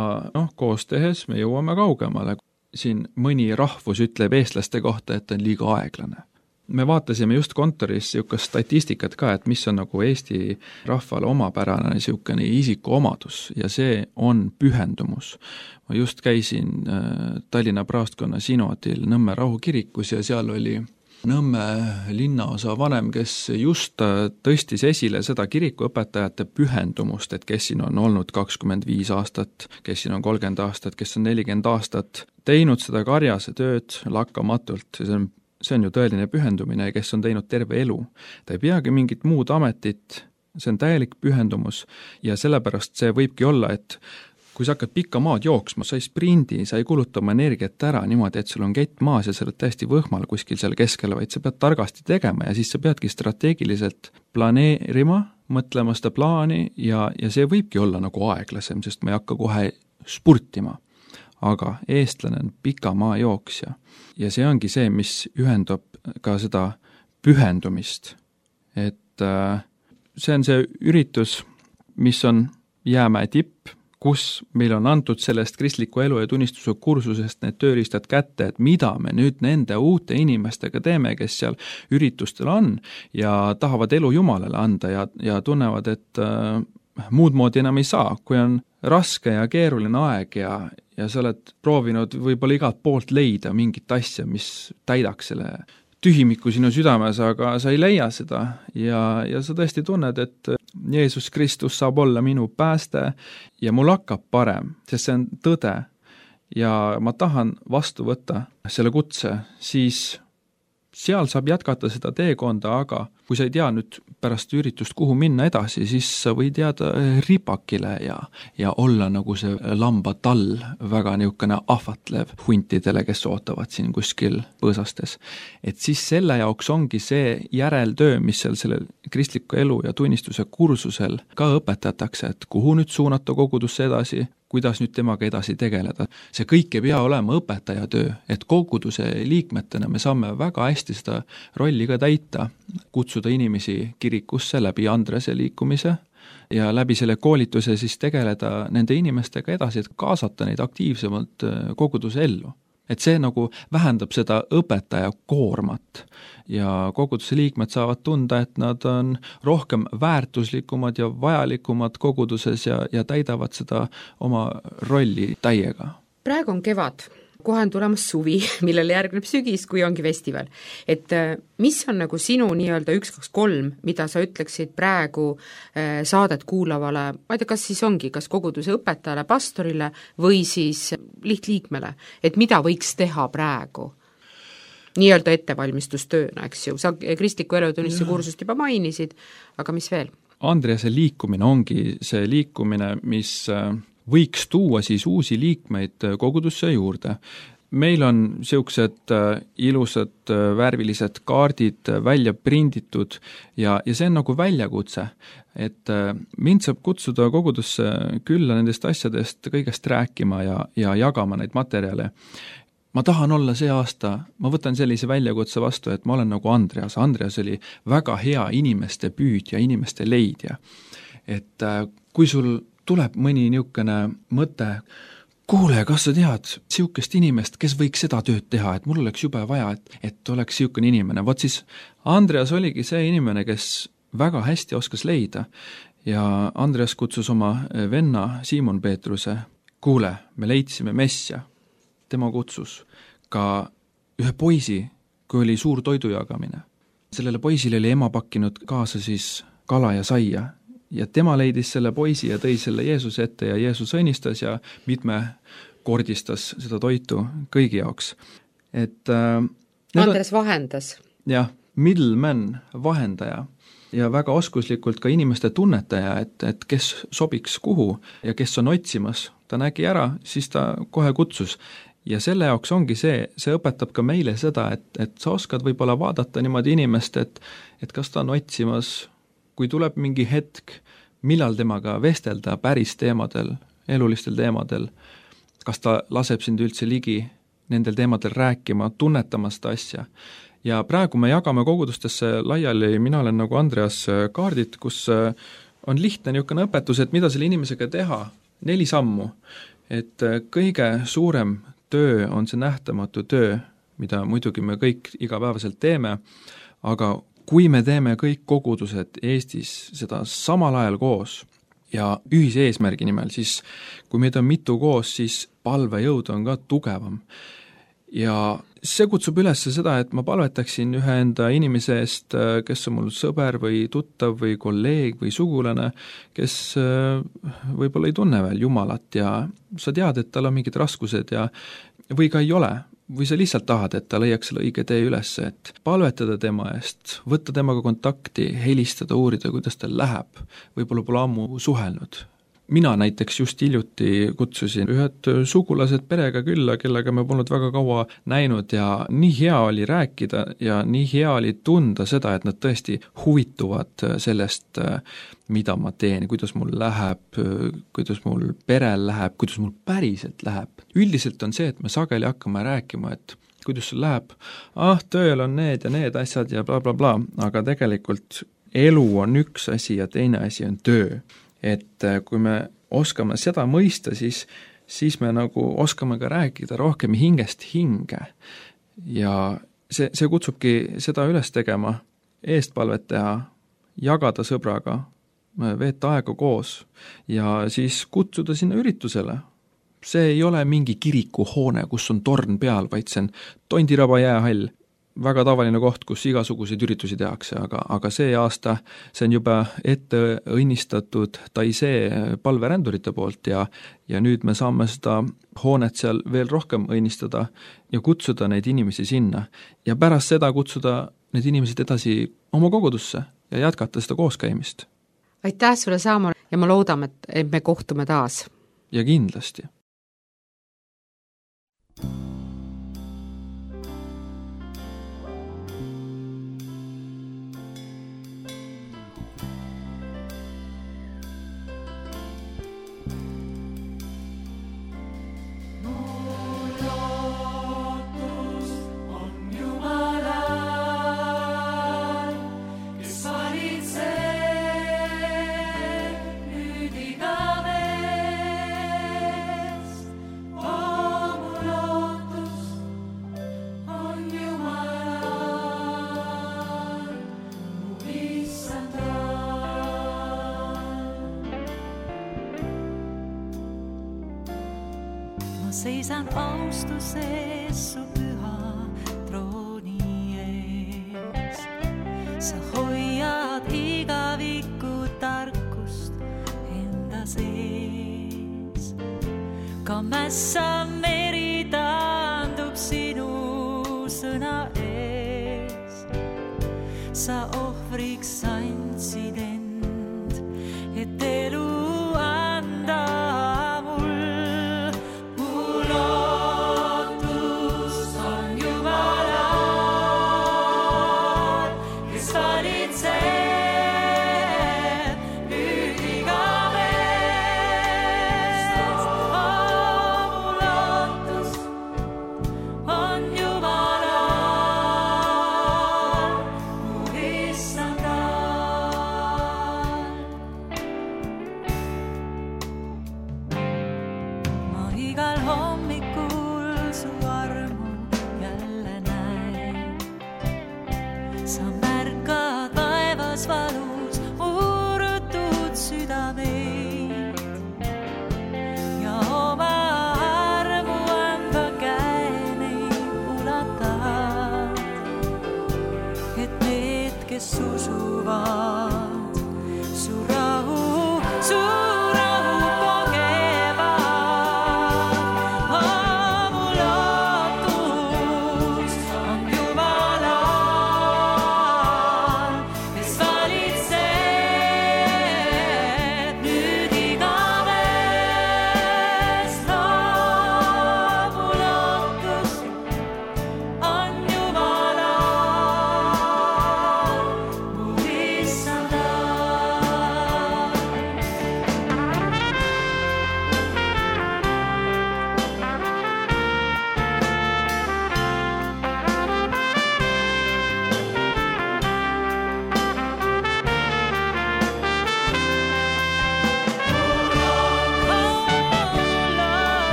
koos tehes me jõuame kaugemale. Siin mõni rahvus ütleb eestlaste kohta, et on liiga aeglane. Me vaatasime just kontoris niisugust statistikat ka, et mis on nagu Eesti rahvale omapärane niisugune isikuomadus ja see on pühendumus. Ma just käisin Tallinna praostkonna sinodil Nõmme rahukirikus ja seal oli Nõmme linnaosa vanem, kes just tõstis esile seda kirikuõpetajate pühendumust, et kes siin on olnud 25 aastat, kes siin on 30 aastat, kes on 40 aastat, teinud seda karjase tööd lakkamatult ja see on ju tõeline pühendumine, kes on teinud terve elu. Ta ei peagi mingit muud ametit, see on täielik pühendumus ja sellepärast see võibki olla, et kui sa hakkad pikka maad jooksma, sa ei sprindi, sa ei kuluta oma energiat ära niimoodi, et sul on kett maas ja sa oled täiesti võhmal kuskil seal keskel, vaid sa pead targasti tegema ja siis sa peadki strateegiliselt planeerima, mõtlema seda plaani ja see võibki olla nagu aeglasem, sest ma ei hakka kohe spurtima. Aga eestlane on pika maa jooksja ja see ongi see, mis ühendab ka seda pühendumist. Et see on see üritus, mis on jäämäe tipp, kus meil on antud sellest kristliku elu ja tunnistuse kursusest need tööriistad kätte, et mida me nüüd nende uute inimestega teeme, kes seal üritustel on ja tahavad elu Jumalale anda ja tunnevad, et muud moodi enam ei saa, kui on raske ja keeruline aeg ja sa oled proovinud võib-olla igalt poolt leida mingit asja, mis täidaks selle tühimiku sinu südames, aga sa ei leia seda ja sa tõesti tunned, et Jeesus Kristus saab olla minu pääste ja mul hakkab parem, sest see on tõde ja ma tahan vastu võtta selle kutse, siis seal saab jätkata seda teekonda, aga kui sa ei tea nüüd pärast üritust, kuhu minna edasi, siis sa võid jääda ripakile ja olla nagu see lambatall, väga niisugune ahvatlev huntidele, kes ootavad siin kuskil põõsastes. Et siis selle jaoks ongi see järeltöö, mis seal selle kristliku elu ja tunnistuse kursusel ka õpetatakse, et kuhu nüüd suunata kogudusse edasi, kuidas nüüd temaga edasi tegeleda. See kõik ei pea olema õpetajatöö, et koguduse liikmetena me saame väga hästi seda rolli ka täita, kutsuda inimesi kirikusse läbi Andrese liikumise ja läbi selle koolituse siis tegeleda nende inimestega edasi, et kaasata neid aktiivsemalt koguduse ellu. Et see nagu vähendab seda õpetaja koormat ja koguduse liikmed saavad tunda, et nad on rohkem väärtuslikumad ja vajalikumad koguduses ja täidavad seda oma rolli täiega. Praegu on kevad, kohe on tulemas suvi, millele järgneb sügis, kui ongi festival. Et mis on nagu sinu nii-öelda 1, 2, 3, mida sa ütleksid praegu saadet kuulavale, ma ei tea, kas siis ongi, kas koguduse õpetajale, pastorile või siis lihtliikmele, et mida võiks teha praegu? Nii-öelda ettevalmistustööna, eks ju, sa kristliku elutunnistuse kursust juba mainisid, aga mis veel? Andrease liikumine ongi see liikumine, mis võiks tuua siis uusi liikmeid kogudusse juurde. Meil on niisugused ilusad värvilised kaardid välja prinditud ja see on nagu väljakutse, et mind saab kutsuda kogudusse külla nendest asjadest kõigest rääkima ja jagama neid materjale. Ma tahan olla see aasta, ma võtan sellise väljakutse vastu, et ma olen nagu Andreas. Andreas oli väga hea inimeste püüdja, inimeste leidja. Et kui sul tuleb mõni niisugune mõte, kuule, kas sa tead niisugust inimest, kes võiks seda tööd teha, et mul oleks jube vaja, et oleks niisugune inimene. Vot siis Andreas oligi see inimene, kes väga hästi oskas leida ja Andreas kutsus oma venna Siimon Peetruse, kuule, me leidsime Messia. Tema kutsus ka ühe poisi, kui oli suur toidu jagamine. Sellele poisile oli ema pakkinud kaasa siis kala ja saia ja tema leidis selle poisi ja tõi selle Jeesuse ette ja Jeesus õnnistas ja mitmekordistas seda toitu kõigi jaoks. Et Andres vahendas. Jah, middleman, vahendaja ja väga oskuslikult ka inimeste tunnetaja, et kes sobiks kuhu ja kes on otsimas. Ta nägi ära, siis ta kohe kutsus. Ja selle jaoks ongi see õpetab ka meile seda, et sa oskad võib-olla vaadata niimoodi inimest, et kas ta on otsimas, kui tuleb mingi hetk, millal temaga vestelda päris teemadel, elulistel teemadel, kas ta laseb sind üldse ligi nendel teemadel rääkima, tunnetama seda asja. Ja praegu me jagame kogudustesse laiali, mina olen nagu Andreas kaardid, kus on lihtne niisugune õpetus, et mida selle inimesega teha, 4 sammu, et kõige suurem töö on see nähtamatu töö, mida muidugi me kõik igapäevaselt teeme, aga kui me teeme kõik kogudused Eestis seda samal ajal koos ja ühise eesmärgi nimel, siis kui meid on mitu koos, siis palvejõud on ka tugevam. Ja see kutsub üles seda, et ma palvetaksin ühe enda inimese eest, kes on mul sõber või tuttav või kolleeg või sugulane, kes võib-olla ei tunne veel Jumalat ja sa tead, et tal on mingid raskused ja või ka ei ole, või sa lihtsalt tahad, et ta leiaks selle õige tee üles, et palvetada tema eest, võtta temaga kontakti, helistada, uurida, kuidas tal läheb, võib-olla pole ammu suhelnud. Mina näiteks just hiljuti kutsusin ühed sugulased perega külla, kellega me polnud väga kaua näinud ja nii hea oli rääkida ja nii hea oli tunda seda, et nad tõesti huvituvad sellest, mida ma teen, kuidas mul läheb, kuidas mul perel läheb, kuidas mul päriselt läheb. Üldiselt on see, et me sageli hakkame rääkima, et kuidas sul läheb, tööl on need ja need asjad ja bla bla bla, aga tegelikult elu on üks asi ja teine asi on töö. Et kui me oskame seda mõista, siis me nagu oskame ka rääkida rohkem hingest hinge. Ja see kutsubki seda üles tegema, eestpalvet teha, jagada sõbraga, veeta aega koos ja siis kutsuda sinna üritusele. See ei ole mingi kirikuhoone, kus on torn peal, vaid see on Tondiraba jäähall. Väga tavaline koht, kus igasuguseid üritusi tehakse, aga see aasta see on juba ette õnnistatud Taisee palverändurite poolt ja nüüd me saame seda hoonet seal veel rohkem õnnistada ja kutsuda neid inimesi sinna. Ja pärast seda kutsuda need inimesed edasi oma kogudusse ja jätkata seda kooskäimist. Aitäh sulle, Saamol, ja ma loodan, et me kohtume taas. Ja kindlasti. Seisan austuses su püha trooni ees. Sa hoiad igavikku tarkust enda sees. Ka mässa meri taandub sinu sõna ees. Sa ohvriks andsid end, et elu anda.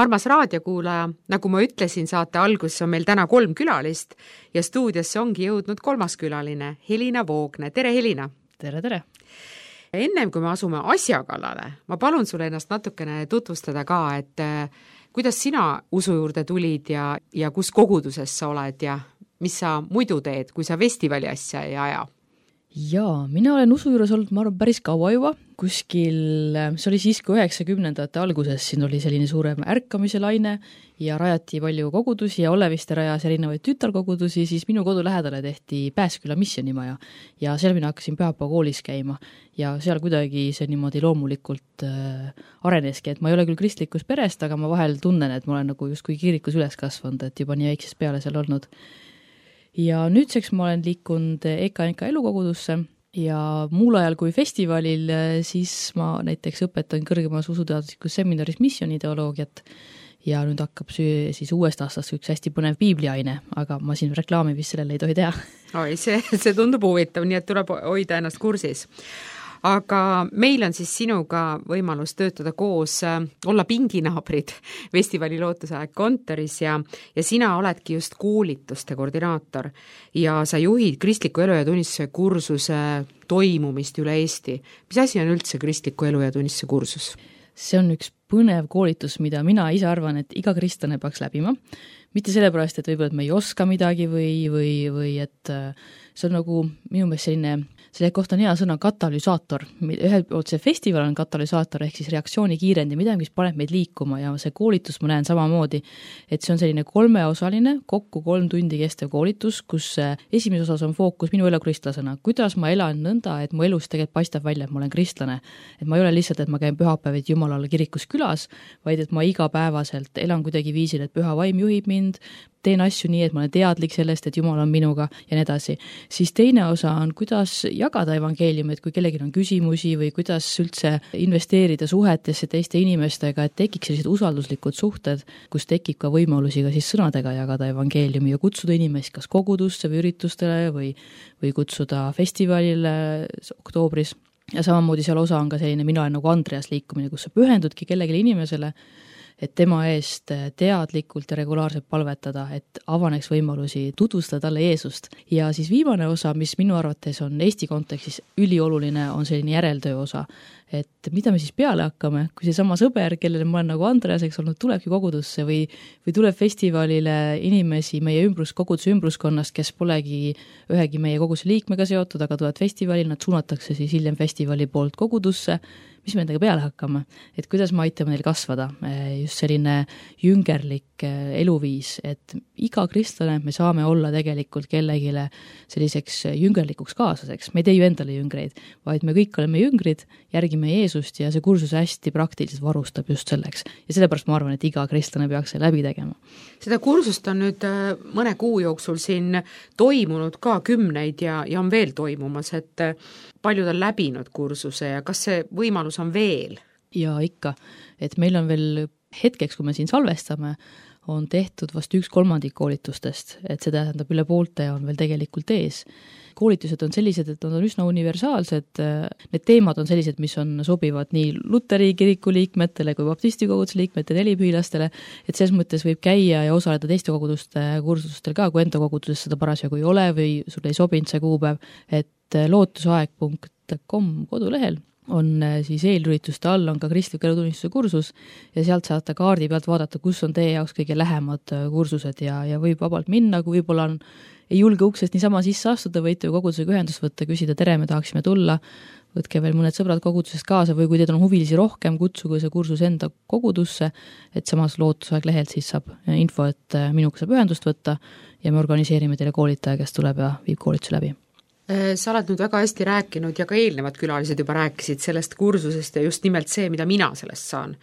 Armas raadiokuulaja, nagu ma ütlesin, saate alguses on meil täna 3 külalist ja stuudiosse ongi jõudnud 3. külaline, Helina Voogne. Tere, Helina! tere, tere! Ennem kui me asume asja kallale, ma palun sulle ennast natukene tutvustada ka, et kuidas sina usu juurde tulid ja kus koguduses sa oled ja mis sa muidu teed, kui sa festivali asja ei aja? Jaa, mina olen usu juures olnud, ma arvan, päris kaua juba, kuskil, see oli siis, kui 90ndate alguses siin oli selline suurem ärkamise laine ja rajati palju kogudusi ja Olleviste rajas erinevaid tütarkogudusi, siis minu kodu lähedale tehti Pääsküla missionimaja ja seal mina hakkasin pühapäeva koolis käima ja seal kuidagi see niimoodi loomulikult areneski, et ma ei ole küll kristlikus perest, aga ma vahel tunnen, et ma olen nagu justkui kirikus üles kasvanud, et juba nii väiksest peale seal olnud. Ja nüüdseks ma olen liikunud EKNK elukogudusse ja muul ajal kui festivalil, siis ma näiteks õpetan kõrgemas usuteaduslikus seminaris missionideoloogiat ja nüüd hakkab siis uuest aastast üks hästi põnev piibliaine, aga ma siin reklaami vist sellele ei tohi teha. Oi, see tundub huvitav, nii et tuleb hoida ennast kursis. Aga meil on siis sinuga võimalus töötada koos, olla pinginaabrid festivali Lootusaeg kontoris ja sina oledki just koolituste koordinaator ja sa juhid kristliku elu ja tunnistuse kursuse toimumist üle Eesti. Mis asi on üldse kristliku elu ja tunnistuse kursus? See on üks põnev koolitus, mida mina ise arvan, et iga kristlane peaks läbima. Mitte sellepärast, et võib-olla me ei oska midagi või et see on nagu minu meelest selle kohta on hea sõna katalüsaator. Ühelt poolt see festival on katalüsaator ehk siis reaktsiooni kiirendi, midagi, mis paneb meid liikuma ja see koolitus ma näen samamoodi, et see on selline 3-osaline, kokku 3 tundi kestev koolitus, kus esimeses osas on fookus minu elu kristlasena, kuidas ma elan nõnda, et mu elus tegelikult paistab välja, et ma olen kristlane. Et ma ei ole lihtsalt, et ma käin pühapäevad Jumalale kirikus külas, vaid et ma igapäevaselt elan kuidagi viisil, et püha vaim juhib mind, teen asju nii, et ma olen teadlik sellest, et Jumal on minuga ja nii edasi. Siis teine osa on, kuidas jagada evangeeliumi, et kui kellelgi on küsimusi või kuidas üldse investeerida suhetesse teiste inimestega, et tekiks sellised usalduslikud suhted, kus tekib ka võimalusi ka siis sõnadega jagada evangeeliumi ja kutsuda inimesi kas kogudusse või üritustele või kutsuda festivalile oktoobris. Ja samamoodi seal osa on ka selline, mina olen nagu Andreas liikumine, kus sa pühendudki kellelegi inimesele, et tema eest teadlikult ja regulaarselt palvetada, et avaneks võimalusi tutvustada talle Jeesust. Ja siis viimane osa, mis minu arvates on Eesti kontekstis ülioluline, on selline järeltöö osa. Et mida me siis peale hakkame, kui see sama sõber, kellele ma olen nagu Andreaseks olnud, tulebki kogudusse või tuleb festivalile inimesi meie koguduse ümbruskonnast, kes polegi ühegi meie koguduse liikmega seotud, aga tulevad festivalil, nad suunatakse siis hiljem festivali poolt kogudusse, mis me endaga peale hakkame, et kuidas me aitame neil kasvada, just selline jüngerlik eluviis, et iga kristlane me saame olla tegelikult kellegile selliseks jüngerlikuks kaaslaseks, me ei tee ju endale jüngreid, vaid me kõik oleme jüngrid, järgime Jeesust ja see kursus hästi praktiliselt varustab just selleks ja sellepärast ma arvan, et iga kristlane peaks see läbi tegema. Seda kursust on nüüd mõne kuu jooksul siin toimunud ka 10 ja on veel toimumas, et paljud on läbinud kursuse ja kas see võimalus on veel? Ja ikka, et meil on veel hetkeks, kui me siin salvestame, on tehtud vast 1/3 koolitustest, et see tähendab üle poolte on veel tegelikult ees. Koolitused on sellised, et nad on üsna universaalsed, need teemad on sellised, mis on sobivad nii Luteri kiriku liikmetele kui baptisti koguduse liikmetele, helipühilastele, et selles mõttes võib käia ja osaleda teiste koguduste kursustel ka, kui enda koguduses seda parasjagu ei ole või sul ei sobinud see kuupäev, et lootusaeg.com kodulehel on siis eelürituste all on ka kristliku elutunnistuse kursus ja sealt saate kaardi pealt vaadata, kus on teie jaoks kõige lähemad kursused ja võib vabalt minna, kui võib-olla ei julge uksest niisama sisse astuda, võite ju kogudusega ühendust võtta, küsida tere, me tahaksime tulla, võtke veel mõned sõbrad kogudusest kaasa või kui teid on huvilisi rohkem, kutsuge see kursus enda kogudusse, et samas Lootusaeg lehelt siis saab info, et minuga saab ühendust võtta ja me organiseerime teile koolitaja, kes tuleb ja viib koolituse läbi. Sa oled nüüd väga hästi rääkinud ja ka eelnevad külalised juba rääkisid sellest kursusest ja just nimelt see, mida mina sellest saan.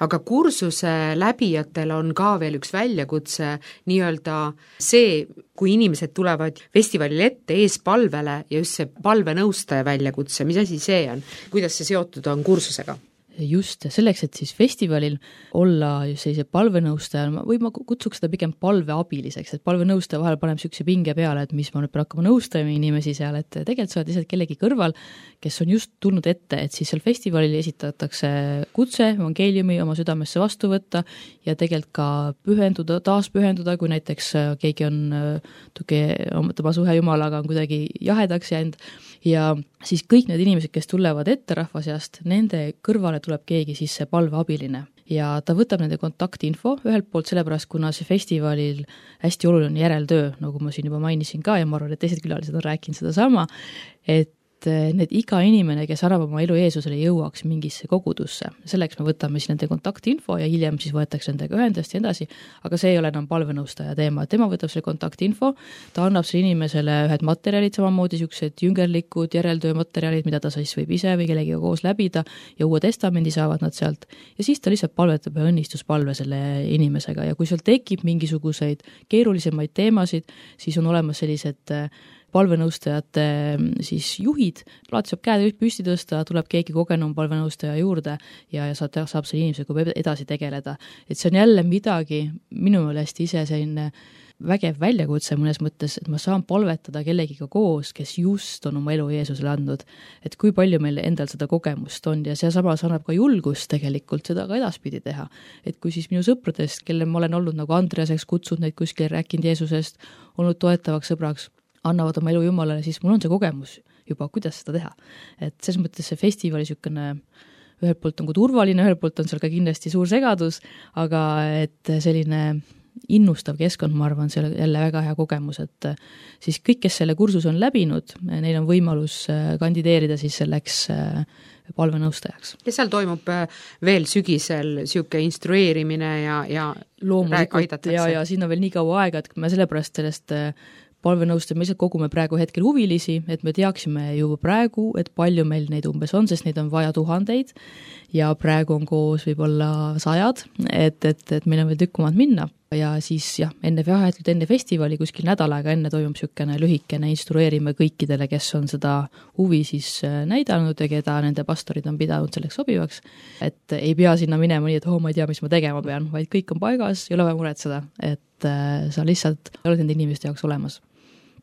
Aga kursuse läbijatel on ka veel üks väljakutse, nii-öelda see, kui inimesed tulevad festivalil ette eespalvele ja just see palvenõustaja väljakutse, mis asi see on? Kuidas see seotud on kursusega? Just, selleks, et siis festivalil olla sellise palvenõustaja, või ma kutsuks seda pigem palveabiliseks, et palvenõustaja vahel paneb sükse pinge peale, et mis ma nüüd pean hakkama nõustama inimesi seal, et tegelikult sa oled lihtsalt kellegi kõrval, kes on just tulnud ette, et siis seal festivalil esitatakse kutse, evangeeliumi oma südamesse vastu võtta ja tegelikult ka pühenduda, taas pühenduda, kui näiteks keegi on tema suhe Jumalaga on kuidagi jahedaks jäänud ja siis kõik need inimesed, kes tulevad ette rahva seast, nende kõrvale tuleb keegi siis see palveabiline ja ta võtab nende kontaktinfo ühelt poolt sellepärast, kuna see festivalil hästi oluline järeltöö, nagu ma siin juba mainisin ka ja ma arvan, et teised külalised on rääkinud seda sama, et need iga inimene, kes annab oma elu Jeesusele, jõuaks mingisse kogudusse. Selleks me võtame siis nende kontaktinfo ja hiljem siis võetakse nendega ühendust ja edasi, aga see ei ole enam palvenõustaja teema. Tema võtab selle kontaktinfo, ta annab selle inimesele ühed materjalid, samamoodi niisugused jüngerlikud järeltöömaterjalid, mida ta siis võib ise või kellegiga koos läbida ja Uue Testamendi saavad nad sealt ja siis ta lihtsalt palvetab ja õnnistuspalve selle inimesega ja kui seal tekib mingisuguseid keerulisemaid teemasid, siis on olemas sellised palvenõustajate siis juhid, alati saab käed püsti tõsta, tuleb keegi kogenum palvenõustaja juurde ja saab selle inimesega edasi tegeleda. Et see on jälle midagi minu meelest ise selline vägev väljakutse mõnes mõttes, et ma saan palvetada kellegiga koos, kes just on oma elu Jeesusele andnud. Et kui palju meil endal seda kogemust on ja see samas annab ka julgust tegelikult seda ka edaspidi teha. Et kui siis minu sõpradest, kelle ma olen olnud nagu Andreaseks kutsunud neid kuskil rääkinud Jeesusest, olnud toetavaks sõbraks, annavad oma elu Jumalale, siis mul on see kogemus juba, kuidas seda teha. Et selles mõttes see festivali niisugune ühelt poolt on turvaline, ühelt poolt on seal ka kindlasti suur segadus, aga et selline innustav keskkond, ma arvan, see on jälle väga hea kogemus, et siis kõik, kes selle kursus on läbinud, neil on võimalus kandideerida siis selleks palvenõustajaks. Ja seal toimub veel sügisel niisugune instrueerimine ja loomulikult ja siin on veel nii kaua aega, et me sellepärast sellest palvenõustajad, me lihtsalt kogume praegu hetkel huvilisi, et me teaksime juba praegu, et palju meil neid umbes on, sest neid on vaja 1000 ja praegu on koos võib-olla 100, et meil on veel tükk maad minna. Ja siis jah, enne festivali kuskil nädal aega enne toimub niisugune lühikene, instrueerime kõikidele, kes on seda huvi siis näidanud ja keda nende pastorid on pidanud selleks sobivaks, et ei pea sinna minema nii, et ma ei tea, mis ma tegema pean, vaid kõik on paigas, ei ole vaja muretseda, et sa lihtsalt oled nende inimeste jaoks olemas.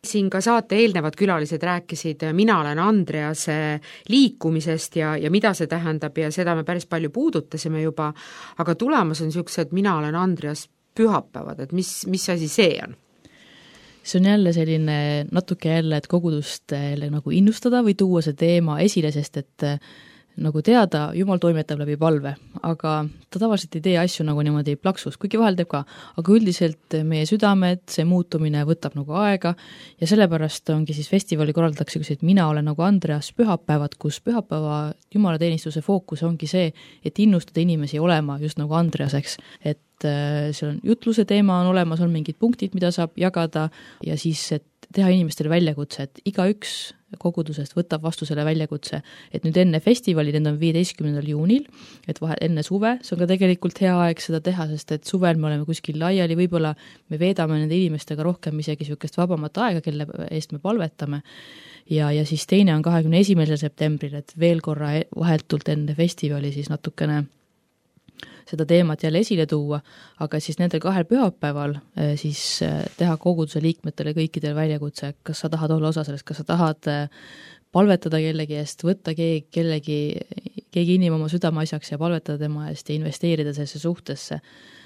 Siin ka saate eelnevad külalised rääkisid Mina olen Andrease liikumisest ja mida see tähendab ja seda me päris palju puudutasime juba, aga tulemas on niisugused Mina olen Andreas pühapäevad, et mis asi see on? See on jälle selline natuke jälle, et kogudust nagu innustada või tuua see teema esile, sest et nagu teada, Jumal toimetab läbi palve, aga ta tavaliselt ei tee asju nagu niimoodi plaksus, kuigi vahel teeb ka, aga üldiselt meie südamed, see muutumine võtab nagu aega ja sellepärast ongi siis festivali korraldatakse, et mina olen nagu Andreas pühapäevad, kus pühapäeva jumalateenistuse fookus ongi see, et innustada inimesi olema just nagu Andreaseks, et seal on jutluse teema on olemas, on mingid punktid, mida saab jagada ja siis, et teha inimestele väljakutse, et igaüks kogudusest võtab vastu selle väljakutse, et nüüd enne festivali, need on 15. juunil, et enne suve, see on ka tegelikult hea aeg seda teha, sest et suvel me oleme kuskil laiali, võib-olla me veedame nende inimestega rohkem isegi niisugust vabamat aega, kelle eest me palvetame ja siis teine on 21. septembril, et veel korra vahetult enne festivali siis natukene seda teemat jälle esile tuua, aga siis nendel 2 pühapäeval siis teha koguduse liikmetele kõikidel väljakutse, kas sa tahad olla osa sellest, kas sa tahad palvetada kellegi eest, võtta keegi inimene oma südameasjaks ja palvetada tema eest ja investeerida sellesse suhtesse.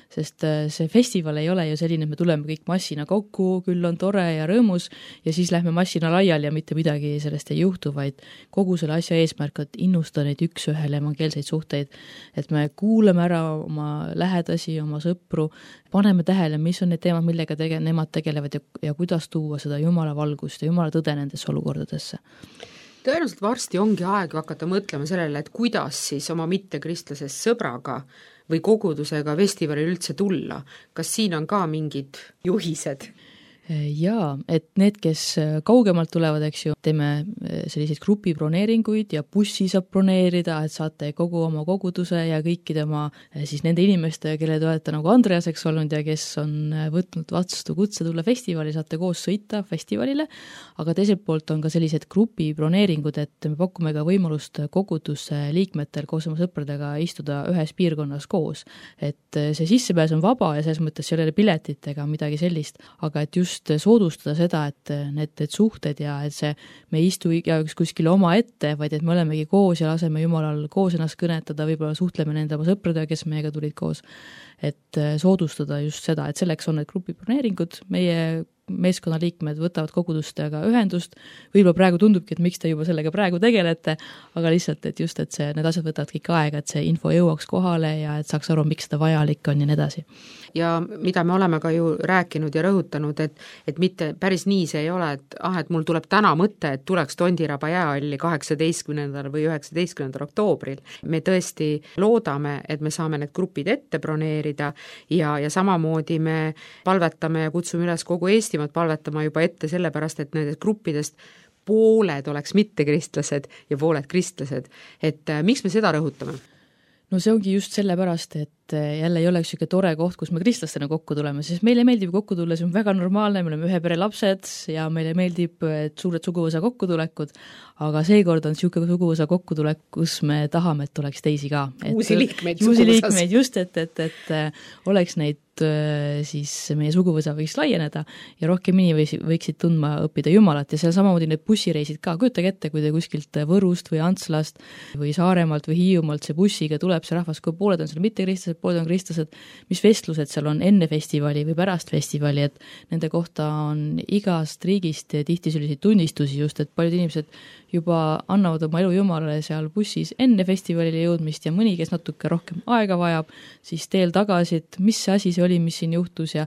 Sest see festival ei ole ju selline, et me tuleme kõik massina kokku, küll on tore ja rõõmus ja siis lähme massina laiali ja mitte midagi sellest ei juhtu, vaid kogu selle asja eesmärk, et innustada neid üks-ühele evangeelseid suhteid, et me kuulame ära oma lähedasi, oma sõpru, paneme tähele, mis on need teemad, millega nemad tegelevad ja kuidas tuua seda Jumala valgust ja Jumala tõde nendesse olukordadesse. Tõenäoliselt varsti ongi aeg hakata mõtlema sellele, et kuidas siis oma mittekristlasest sõbraga või kogudusega festivalil üldse tulla. Kas siin on ka mingid juhised? Jaa, et need, kes kaugemalt tulevad, eks ju, teeme selliseid grupibroneeringuid ja bussi saab broneerida, et saate kogu oma koguduse ja kõikide oma siis nende inimeste, kelle te olete nagu Andreaseks olnud ja kes on võtnud vastu kutse tulla festivali, saate koos sõita festivalile, aga teiselt poolt on ka sellised grupibroneeringud, et me pakume ka võimalust koguduse liikmetel koos oma sõpradega istuda ühes piirkonnas koos. Et see sissepääs on vaba ja selles mõttes ei ole piletit ega midagi sellist, aga et just soodustada seda, et need suhted ja et see, me ei istu igaüks kuskile oma ette, vaid et me olemegi koos ja laseme Jumalal koos ennast kõnetada, võib-olla suhtleme nende oma sõpradega, kes meiega tulid koos, et soodustada just seda, et selleks on need grupibroneeringud, meie meeskonnaliikmed võtavad kogudustega ühendust, võib-olla praegu tundubki, et miks te juba sellega praegu tegelete, aga lihtsalt, et just, et need asjad võtavad kõik aega, et see info jõuaks kohale ja et saaks aru, miks seda vajalik on ja nii edasi. Ja mida me oleme ka ju rääkinud ja rõhutanud, et mitte päris nii see ei ole, et mul tuleb täna mõte, et tuleks Tondiraba jäähalli 18. või 19. oktoobril. Me tõesti loodame, et me saame need grupid ette broneerida ja samamoodi me palvetame ja kutsume üles kogu Eestimaad palvetama juba ette sellepärast, et nendest gruppidest pooled oleks mittekristlased ja pooled kristlased. Et miks me seda rõhutame? No see ongi just sellepärast, et jälle ei oleks niisugune tore koht, kus me kristlastena kokku tuleme, sest meile meeldib kokku tulla, see on väga normaalne, me oleme ühe pere lapsed ja meile meeldib suured suguvõsa kokkutulekud, aga seekord on niisugune suguvõsa kokkutulek, kus me tahame, et tuleks teisi ka. Uusi liikmeid just, et oleks neid siis meie suguvõsa võiks laieneda ja rohkem inimesi võiksid tundma õppida Jumalat ja seal samamoodi need bussireisid ka, kujutage ette, kui te kuskilt Võrust või Antslast või Saaremaalt või Hiiumaalt see bussiga tuleb see rahvas, kui pooled on seal mittekristlased, pooled on kristlased, mis vestlused seal on enne festivali või pärast festivali, et nende kohta on igast riigist tihti selliseid tunnistusi just, et paljud inimesed juba annavad oma elu Jumalale seal bussis enne festivalile jõudmist ja mõni, kes natuke rohkem aega vajab, siis teel tagasi, et mis see asi see oli, mis siin juhtus ja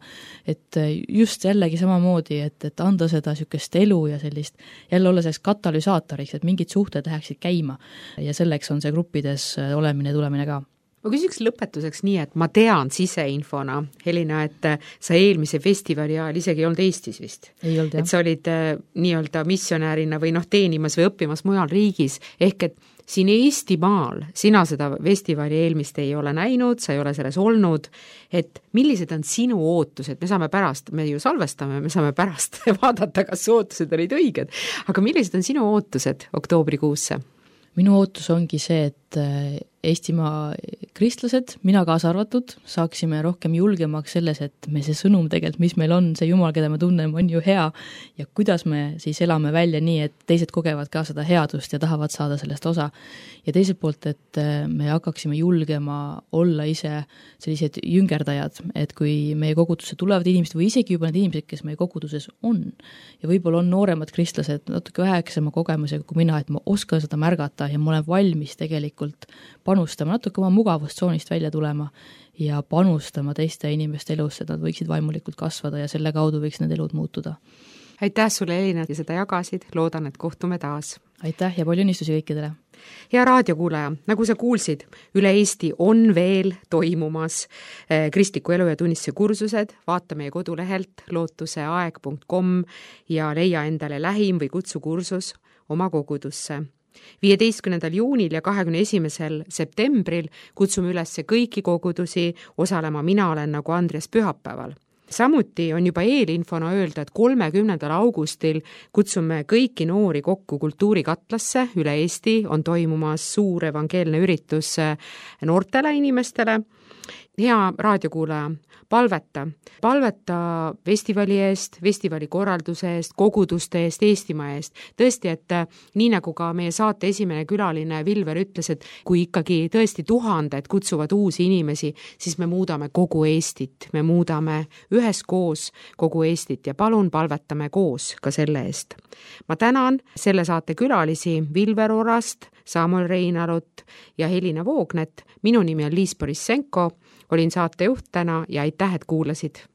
et just jällegi samamoodi, et anda seda niisugust elu ja sellist, jälle olla selleks katalüsaatoriks, et mingid suhted läheksid käima ja selleks on see gruppides olemine ja tulemine ka. Ma küsiks lõpetuseks nii, et ma tean siseinfona, Helina, et sa eelmise festivali ajal isegi ei olnud Eestis vist. Ei olnud, jah. Et sa olid nii-öelda missionäärina või teenimas või õppimas mujal riigis, ehk et siin Eestimaal sina seda festivali eelmist ei ole näinud, sa ei ole selles olnud, et millised on sinu ootused, me saame pärast, me ju salvestame, me saame pärast vaadata, kas ootused olid õiged, aga millised on sinu ootused oktoobrikuusse? Minu ootus ongi see, et Eestimaa kristlased, mina kaasa arvatud, saaksime rohkem julgemaks selles, et me see sõnum tegelikult, mis meil on, see Jumal, keda me tunneme, on ju hea ja kuidas me siis elame välja nii, et teised kogevad ka seda headust ja tahavad saada sellest osa. Ja teiselt poolt, et me hakkaksime julgema olla ise sellised jüngerdajad, et kui meie kogudusse tulevad inimesed või isegi juba need inimesed, kes meie koguduses on ja võib-olla on nooremad kristlased natuke väheksema kogemusega kui mina, et ma oskan seda märgata ja ma olen valmis tegelikult panustama, natuke oma mugavustsoonist välja tulema ja panustama teiste inimeste elusse, et nad võiksid vaimulikult kasvada ja selle kaudu võiks need elud muutuda. Aitäh sulle, Elina, ja seda jagasid, loodan, et kohtume taas. Aitäh ja palju õnnistusi kõikidele! Hea raadiokuulaja, nagu sa kuulsid, üle Eesti on veel toimumas kristliku elu ja tunnistuse kursused, vaata meie kodulehelt lootuseaeg.com ja leia endale lähim või kutsu kursus oma kogudusse. 15. juunil ja 21. septembril kutsume üles kõiki kogudusi osalema Mina olen nagu Andres pühapäeval. Samuti on juba eelinfona öelda, et 30. augustil kutsume kõiki noori kokku kultuurikatlasse, üle Eesti on toimumas suur evangeelne üritus noortele inimestele. Hea raadiokuulaja, palveta festivali eest, festivali korralduse eest, koguduste eest, Eestimaa eest. Tõesti, et nii nagu ka meie saate esimene külaline Vilver ütles, et kui ikkagi tõesti tuhanded kutsuvad uusi inimesi, siis me muudame kogu Eestit, me muudame üheskoos kogu Eestit ja palun palvetame koos ka selle eest. Ma tänan selle saate külalisi Vilver Orast, Samuel Reinalut ja Helina Voognet. Minu nimi on Liis Borissenko, olin saatejuht täna ja aitäh, et kuulasid.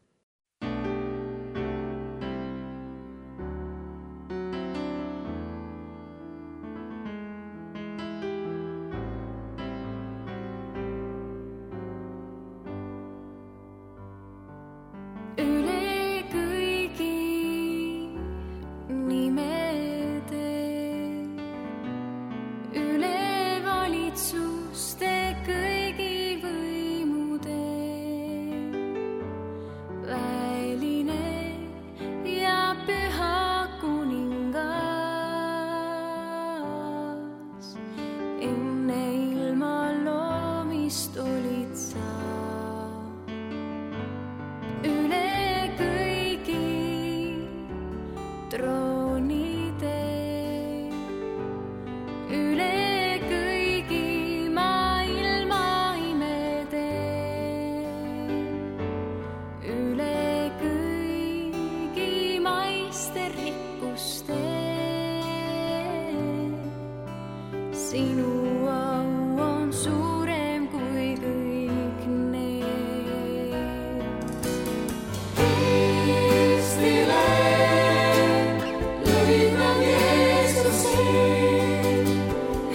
sinu au on suurem kui kõik need. Kristile lõid nad Jeesuse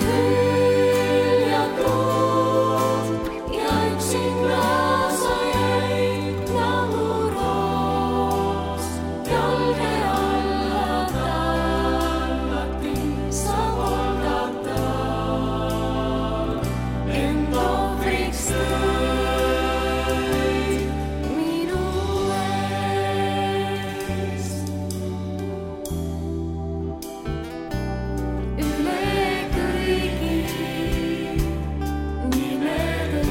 hüljatud ja üksinda sa jäid nagu roos jalge alla tallati sa Golgata. End ohvriks tõid minu eest. Üle kõigi nimede,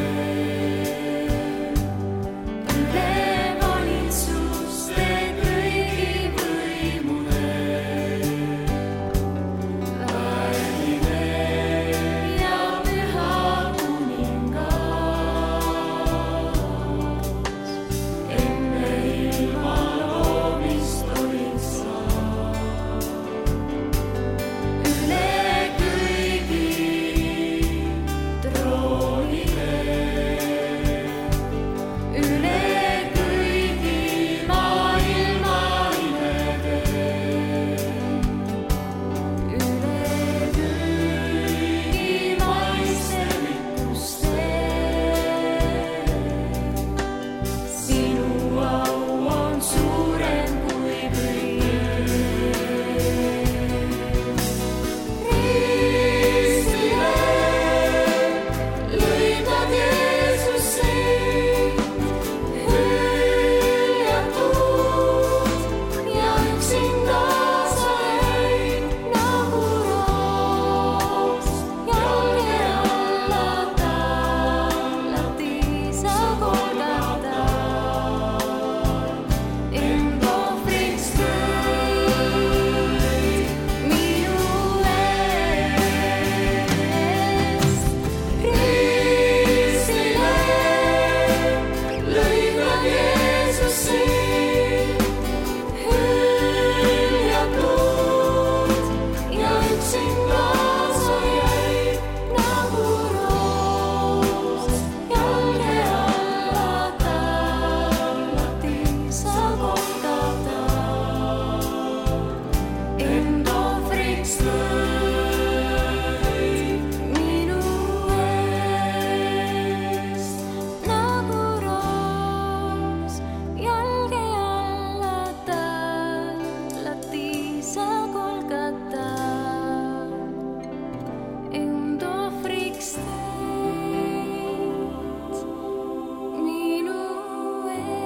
üle valitsuste kõigi võimude, vääriline ja püha kuningas. Enne ilma loomist olid sa. Üle kõigi troonide, üle kõigi maailma imede, üle kõigi maiste rikkuste. Sinu au on suurem kui kõik. Kristile lõid nad Jeesuse hüljatud ja üksinda sa jäid nagu roos jalge alla tallati sa Golgata. End ohvriks tõid minu eest. Kristile lõid nad Jeesuse hüljatud ja üksinda sa jäid nagu roos jalge alla tallati sa Golgata. End ohvriks tõid minu eest. Nagu roos jalge alla tallati sa Golgata. End ohvriks tõid minu eest.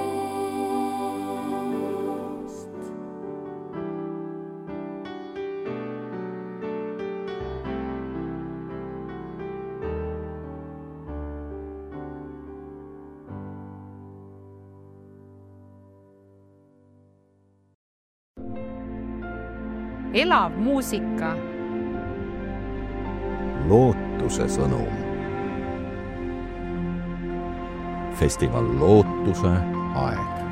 Elav muusika. Lootuse sõnum. Festival Lootuse aeg.